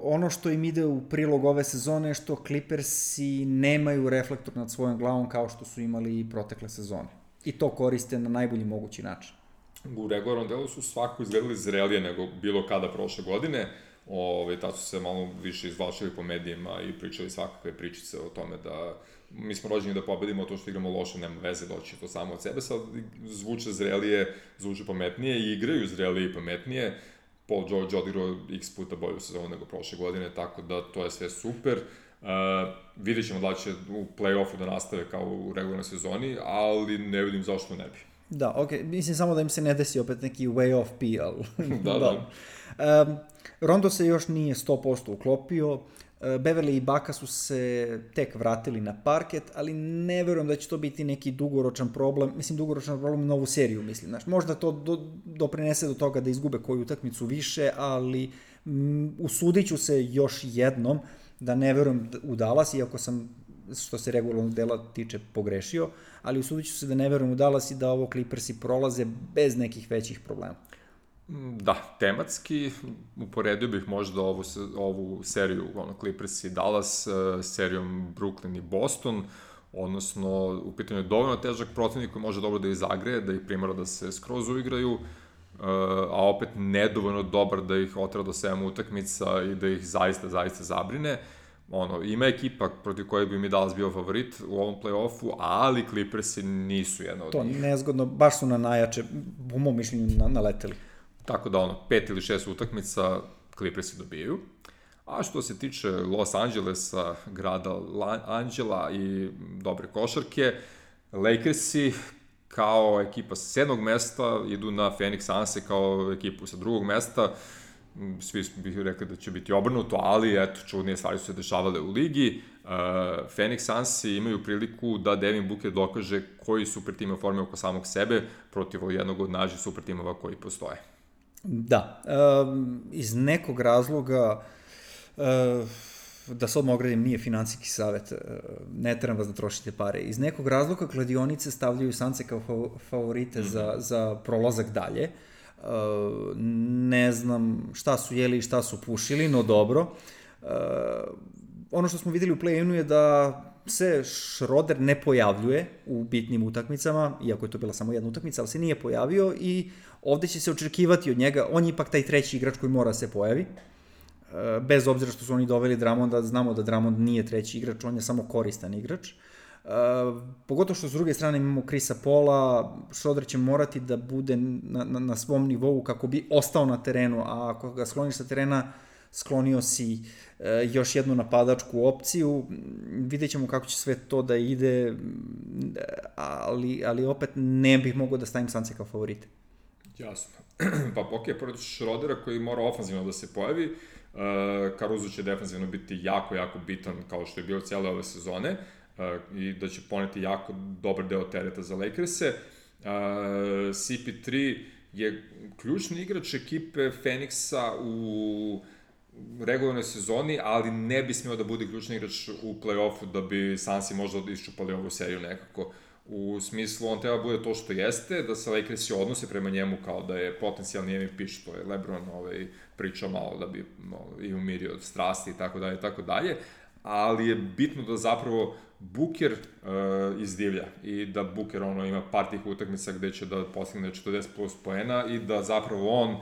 Ono što im ide u prilog ove sezone je što Clippersi nemaju reflektor nad svojom glavom kao što su imali i protekle sezone. I to koriste na najbolji mogući način. U regularnom delu su svako izgledali zrelije nego bilo kada prošle godine. Tad su se malo više izvlačili po medijima i pričali svakakve pričice o tome da mi smo rođeni da pobedimo, to što igramo loše nema veze, doći to samo od sebe. Sad zvuče zrelije, zvuče pametnije i igraju zrelije i pametnije. Paul George odigrao x puta bolju sezonu nego prošle godine, tako da to je sve super. Vidjet ćemo da će u play-offu da nastave kao u regularnoj sezoni, ali ne vidim zašto ne bi. Da, okej, mislim samo da im se ne desi opet neki way off PL. Da. Rondo se još nije 100% uklopio, Beverley i Baka su se tek vratili na parket, ali ne verujem da će to biti neki dugoročan problem, u novu seriju, mislim, znaš, možda to doprinese do toga da izgube koju utakmicu više, ali usudit ću se još jednom da ne verujem u Dallas, iako sam, što se regularnog dela tiče, pogrešio, ali usudit ću se da ne verujem u Dallas i da ovo Clippersi prolaze bez nekih većih problema. Da, tematski uporedio bih možda ovu seriju Clippers i Dallas serijom Brooklyn i Boston, odnosno u pitanju je dovoljno težak protivnik koji može dobro da ih zagreje, da ih primara da se skroz uigraju, a opet nedovoljno dobar da ih otera do 7 utakmica i da ih zaista zabrine. Ima ekipa protiv koje bi mi Dallas bio favorit u ovom play-offu, ali Clippersi nisu jedna od njih. To nezgodno, baš su na najjače, po mom mišljenju, naleteli. Tako da 5 ili 6 utakmica Clippersi dobijaju. A što se tiče Los Angelesa, grada Anđela i dobre košarke, Lakersi kao ekipa sa 7. mesta idu na Phoenix Sunse kao ekipu sa 2. mesta. Svi bih rekli da će biti obrnuto, ali eto, čudnije stvari su se dešavale u ligi. Phoenix Sunsi imaju priliku da Devin Booker dokaže koji super tim je formio oko samog sebe protiv jednog od najžih super timova koji postoje. Da, iz nekog razloga, da se odmah ogradim, nije finansijski savjet, ne trebam vas da trošite pare, iz nekog razloga kladionice stavljaju Sunse kao favorite za prolazak dalje. Ne znam šta su jeli i šta su pušili, no dobro. Ono što smo videli u play-inu je da se Schroeder ne pojavljuje u bitnim utakmicama, iako je to bila samo jedna utakmica, ali se nije pojavio i ovde će se očekivati od njega, on je ipak taj treći igrač koji mora se pojavi, bez obzira što su oni doveli Drummonda, znamo da Drummond nije treći igrač, on je samo koristan igrač. Pogotovo što s druge strane imamo Chrisa Paula, Schroeder će morati da bude na svom nivou kako bi ostao na terenu, a ako ga skloniš sa terena, sklonio si još jednu napadačku opciju, vidjet ćemo kako će sve to da ide, ali opet ne bih mogao da stavim Sunse kao favorite. Jasno. Pa pored Schroedera koji mora ofanzivno da se pojavi, Caruso će defensivno biti jako bitan kao što je bio cijele ove sezone i da će poneti jako dobar deo tereta za Lakers-e. CP3 je ključni igrač ekipe Phoenixa u regularnoj sezoni, ali ne bi smio da bude ključni igrač u play-offu da bi Sunsi možda iščupali ovu seriju nekako. U smislu, on treba bude to što jeste, da se Lakersi odnose prema njemu kao da je potencijalni MVP, što je LeBron pričao malo da bi i umirio od strasti i tako dalje, ali je bitno da zapravo Booker izdivlja i da Booker ima par tih utakmica gde će da postigne 40 plus poena i da zapravo on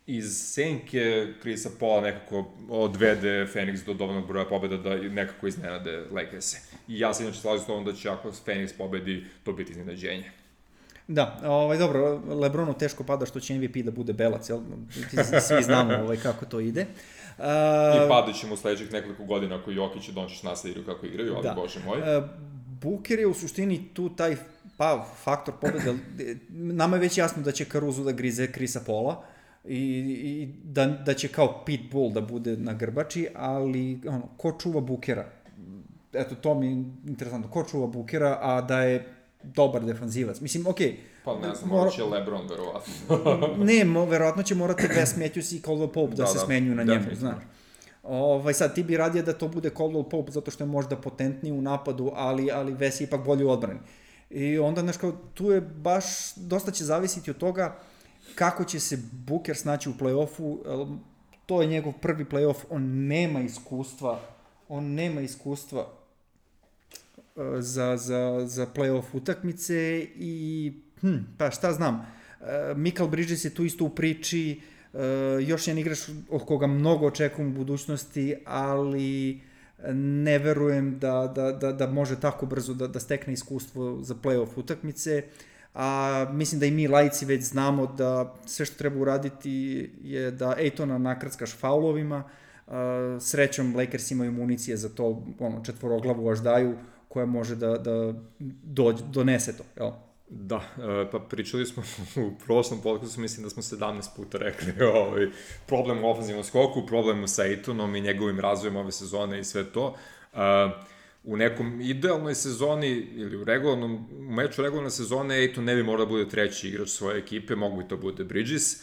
iz senke Chrisa Paula nekako odvede Phoenix do dovoljnog broja pobjeda da nekako iznenade Lakers-e. I ja se inače slažem s tom da će ako Phoenix pobedi, to biti iznenađenje. Da, dobro, Lebronu teško pada što će MVP da bude belac, jel? Svi znamo kako to ide. I padat ćemo u sledećih nekoliko godina ako Jokić i Dončić naslediru kako igraju, ali bože moj. Booker je u suštini tu taj faktor pobjede. Nama je već jasno da će Caruso da grize Chrisa Paula i da će kao Pitbull da bude na grbači, ali ko čuva Bookera? Eto, to mi je interesantno. Ko čuva Bookera, a da je dobar defanzivac? Mislim, okej. Pa ne znam, morat će LeBron, verovatno. Ne, verovatno će morati Wes Matthews i Caldwell Pope da se smenjuju na njemu, znaš. Sad, ti bi radije da to bude Caldwell Pope zato što je možda potentniji u napadu, ali Wes je ipak bolji u odbrani. I onda, znaš, kao, tu je baš, dosta će zavisiti od toga kako će se Booker snaći u play-offu. To je njegov prvi play-off, on nema iskustva za play-off utakmice i pa šta znam, Mikal Bridges je tu isto u priči, još jedan igrač od koga mnogo očekujem u budućnosti, ali ne verujem da može tako brzo da stekne iskustvo za play-off utakmice, a mislim da i mi laici već znamo da sve što treba uraditi je da Aytona nakrckaš faulovima. Srećom Lakers imaju municije za to, četvoroglavu aždaju koja može da donese to, jel? Da, pa pričali smo u prošlom podcastu, mislim da smo 17 puta rekli problem u ofenzivnom skoku, problem sa Aytonom i njegovim razvojem ove sezone i sve to. U nekom idealnoj sezoni ili u meču regularne sezone Ayton ne bi morao da bude treći igrač svoje ekipe, mogu bi to bude Bridges,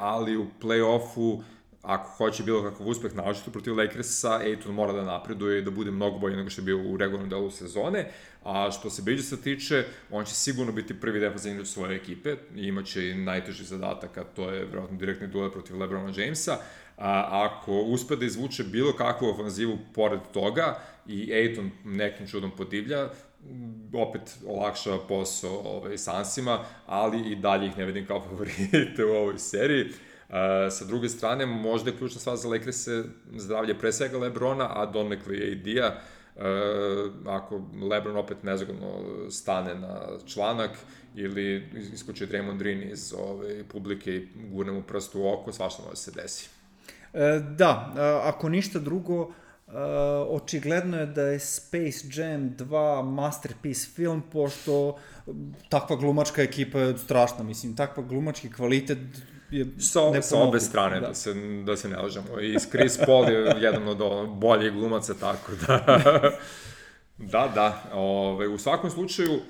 ali u play-offu ako hoće bilo kakav uspeh naočito protiv Lakersa, Ayton mora da napreduje i da bude mnogo bolje nego što je bio u regularnom delu sezone, a što se Bridgesa tiče, on će sigurno biti prvi defensivni igrač svoje ekipe i imaće i najteži zadatak, a to je vjerojatno direktni duel protiv LeBrona Jamesa. Ako uspe da izvuče bilo kakvu ofanzivu pored toga i Ayton nekim čudom podivlja, opet olakšava posao Sunsima, ali i dalje ih ne vidim kao favorite u ovoj seriji. Sa druge strane, možda je ključna stvar za Lakers-e zdravlje pre svega Lebrona, a donekle i AD-a. Ako Lebron opet nezgodno stane na članak ili iskoči Draymond Green iz publike i gurne mu prst u oko, svašta može se desi. Da, ako ništa drugo, očigledno je da je Space Jam 2 masterpiece film, pošto takva glumačka ekipa je strašna, mislim, takva glumački kvalitet je sa obe strane, da se ne lažemo. I Chris Paul je jedan od boljih glumaca, tako da. U svakom slučaju,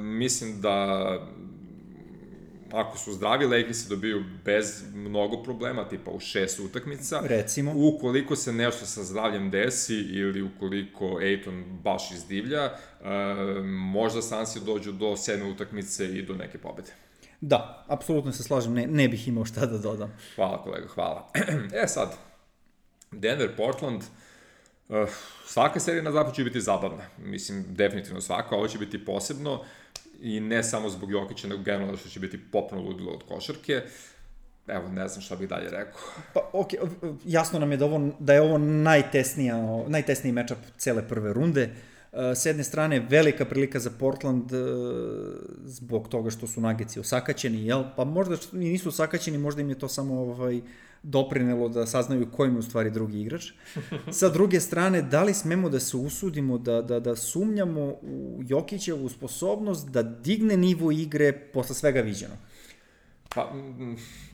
mislim da ako su zdravi, Lakersi dobiju bez mnogo problema, tipa u 6 utakmica. Recimo. Ukoliko se nešto sa zdravljem desi ili ukoliko Ayton baš izdivlja, možda Sunsi dođu do 7 utakmice i do neke pobede. Da, apsolutno se slažem, ne bih imao šta da dodam. Hvala kolega, hvala. Sad, Denver, Portland, svaka serija na zapad će biti zabavna. Mislim, definitivno svaka, ovo će biti posebno i ne samo zbog Jokića, nego generalno što će biti popno ludilo od košarke. Evo, ne znam šta bih dalje rekao. Pa, jasno nam je da je ovo najtesniji matchup cele prve runde. S jedne strane, velika prilika za Portland zbog toga što su Nuggetsi osakaćeni, jel? Pa možda i nisu osakaćeni, možda im je to samo doprinelo da saznaju ko im je u stvari drugi igrač. Sa druge strane, da li smemo da se usudimo da sumnjamo u Jokićevu sposobnost da digne nivo igre posle svega viđeno? Pa,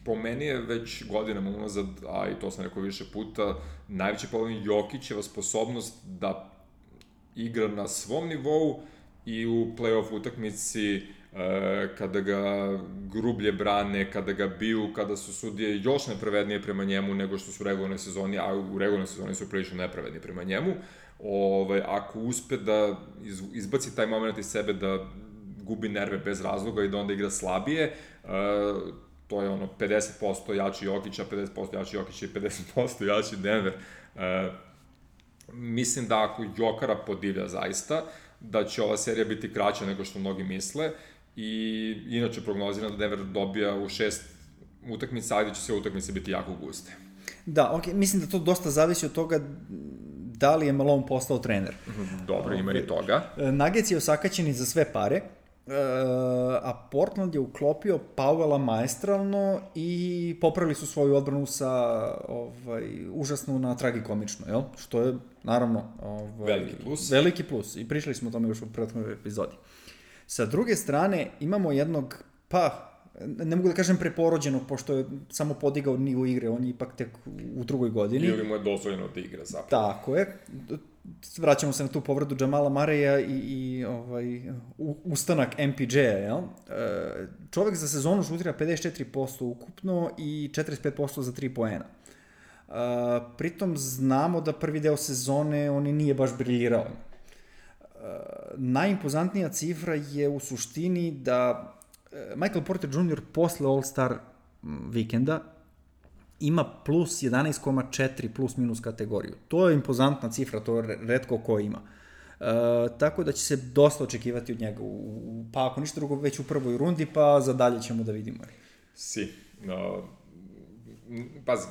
po meni je već godinama unazad, a i to sam rekao više puta, najveći problem Jokićeva sposobnost da igra na svom nivou i u play-off utakmici kada ga grublje brane, kada ga biju, kada su sudije još nepravednije prema njemu nego što su u regularnoj sezoni, a u regularnoj sezoni su prilično nepravedni prema njemu. Ako uspe da izbaci taj moment iz sebe, da gubi nerve bez razloga i da onda igra slabije, to je 50% jači Jokića, 50% jači Jokića i 50% jači Denver. Mislim da ako Jokara podivlja zaista, da će ova serija biti kraća nego što mnogi misle i inače prognoziram da Denver dobija u 6 utakmica, ali da će sve utakmice biti jako guste. Da, mislim da to dosta zavisi od toga da li je Malone postao trener. Dobro, ima i toga. Nuggets je osakaćeni za sve pare a Portland je uklopio Powella maestralno i popravili su svoju odbranu sa užasno na tragikomično, jel? Što je, naravno, veliki plus. I pričali smo o tome još u prethodnoj epizodi. Sa druge strane, imamo jednog, ne mogu da kažem preporođenog, pošto je samo podigao nivo igre, on je ipak tek u drugoj godini. Ili mu je dozvoljeno da igra zapravo. Tako je. Vraćamo se na tu povredu Jamala Murraya i ustanak MPJ-a, jel? Čovek za sezonu šutira 54% ukupno i 45% za 3 poena. Pritom znamo da prvi deo sezone on nije baš briljirao. Najimpozantnija cifra je u suštini da Michael Porter Jr. posle All-Star vikenda ima plus 11,4 plus minus kategoriju. To je impozantna cifra, to retko ko ima. Tako da će se dosta očekivati od njega, pa ako ništa drugo već u prvoj rundi, pa za dalje ćemo da vidimo. Pazi,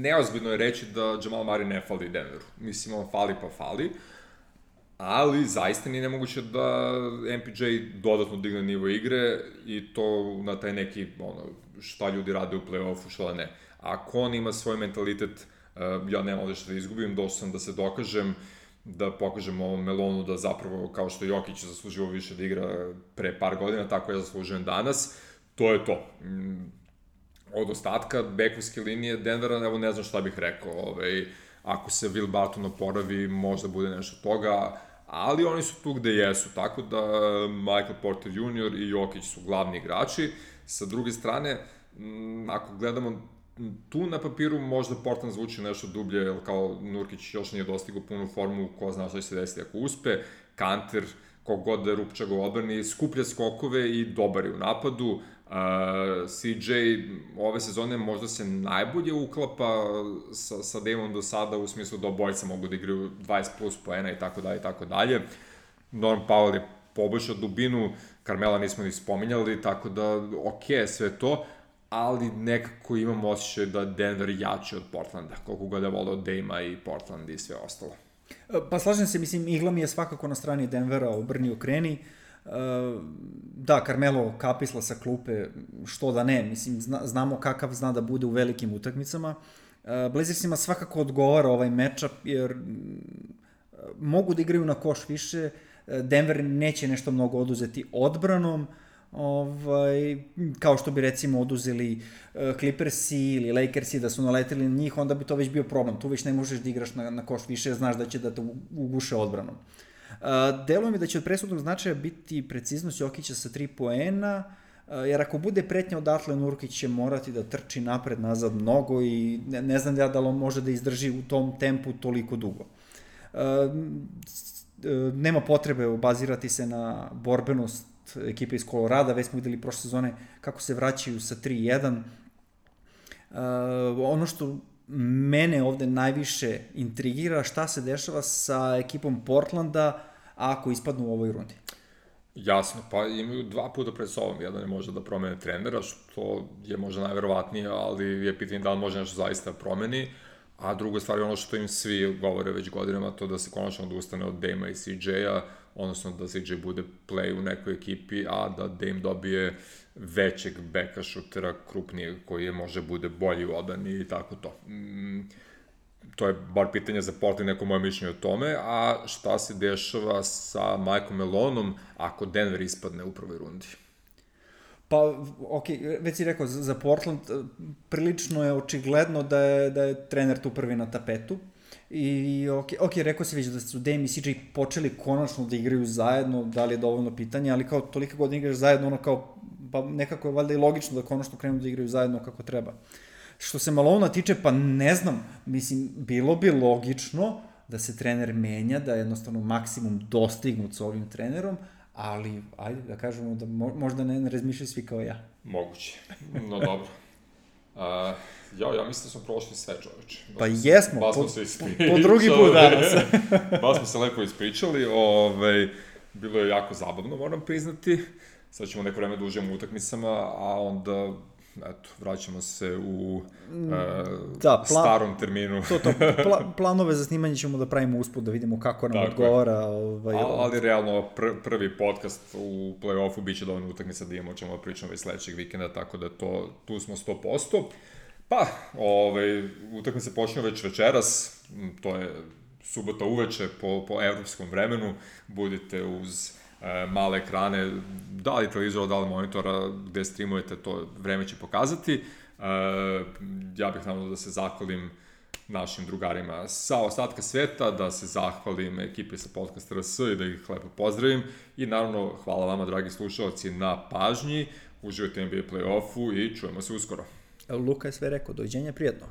neozbiljno je reći da Jamal Murray ne fali Denveru. Mislim, on fali pa fali, ali zaista nije nemoguće da MPJ dodatno digne nivo igre i to na taj neki, šta ljudi rade u play-offu, šta ne. Ako on ima svoj mentalitet, ja nemam ovde što da izgubim, došao sam da se dokažem, da pokažem ovom Melonu da zapravo, kao što Jokić zaslužio više da igra pre par godina, tako ja zaslužujem danas, to je to. Od ostatka bekovske linije Denvera, evo ne znam šta bih rekao, ako se Will Barton oporavi, možda bude nešto toga, ali oni su tu gde jesu, tako da Michael Porter Jr. i Jokić su glavni igrači. Sa druge strane, ako gledamo tu na papiru, možda Portland zvuči nešto dublje, jer kao Nurkić još nije dostigao punu formu, ko zna šta će se desiti ako uspe. Kanter, kogod da je Rupčag u odbrani, skuplja skokove i dobar je u napadu. CJ ove sezone možda se najbolje uklapa sa Dameom do sada, u smislu da obojica mogu da igraju 20 plus poena i tako dalje. Norm Powell je poboljšao dubinu, Carmela nismo ni spominjali, tako da ok, sve to, ali nekako imam osjećaj da Denver jači od Portlanda, koliko god je volao Dame-a i Portland i sve ostalo. Pa slažem se, mislim, igla mi je svakako na strani Denvera, obrni okreni. Da, Carmelo kapisla sa klupe, što da ne, mislim, znamo kakav zna da bude u velikim utakmicama. Blazersima svakako odgovara ovaj matchup, jer mogu da igraju na koš više, Denver neće nešto mnogo oduzeti odbranom, kao što bi recimo oduzeli Clippersi ili Lakersi da su naleteli na njih, onda bi to već bio problem. Tu već ne možeš da igraš na koš više, znaš da će da te uguše odbranom. Deluje mi da će od presudnog značaja biti preciznost Jokića sa 3 poena, jer ako bude pretnja odatle, Nurkić će morati da trči napred-nazad mnogo i ne znam da li on može da izdrži u tom tempu toliko dugo. Nema potrebe obazirati se na borbenost ekipe iz Kolorada, već smo videli prošle sezone kako se vraćaju sa 3-1. Ono što mene ovde najviše intrigira, šta se dešava sa ekipom Portlanda ako ispadnu u ovoj rundi. Jasno, pa imaju 2 puta pred sobom, jedan je možda da promene trenera, što je možda najverovatnije, ali je pitanje da li može nešto zaista promeni, a druga stvar je ono što im svi govore već godinama, to da se konačno odustane od Dame-a i CJ-a, odnosno da CJ bude play u nekoj ekipi, a da Dame dobije većeg beka šutera, krupnijeg, koji može bude bolji u odbrani i tako to. To je bar pitanje za Portland, neko moje mišljenje o tome, a šta se dešava sa Mikeom Melonom ako Denver ispadne u prvoj rundi? Pa, ok, već si rekao, za Portland prilično je očigledno da je trener tu prvi na tapetu. I ok, rekao si već da su Dame i CJ počeli konačno da igraju zajedno, da li je dovoljno pitanje, ali kao tolika godina igraš zajedno, ono kao, pa nekako je valjda i logično da konačno krenu da igraju zajedno kako treba. Što se Malona tiče, pa ne znam, mislim, bilo bi logično da se trener menja, da je jednostavno maksimum dostignut sa ovim trenerom, ali, ajde da kažemo da možda ne razmišljaju svi kao ja. Moguće, no dobro. Ja mislim da smo prošli sve, čoveče. Pa jesmo, po drugi put danas. Baš smo se lepo ispričali, bilo je jako zabavno, moram priznati. Sad ćemo neko vreme da uživamo u utakmicama, a onda eto, vraćamo se u da, starom terminu. Planove za snimanje ćemo da pravimo usput, da vidimo kako nam odgovara. Ali realno, prvi podcast u play-offu biće dovoljno utakmica da imamo o čemu pričamo već sledećeg vikenda, tako da tu smo 100%. Pa, utakmica počne već večeras, to je subota uveče po evropskom vremenu, budite uz male ekrane, da li televizora, da li monitora, gde streamujete, to vreme će pokazati. Ja bih naravno da se zahvalim našim drugarima sa ostatka sveta, da se zahvalim ekipi sa Podcast RS i da ih lepo pozdravim i naravno hvala vama, dragi slušalci, na pažnji, uživajte NBA play-offu i čujemo se uskoro. Luka je sve rekao, doviđenja, prijatno.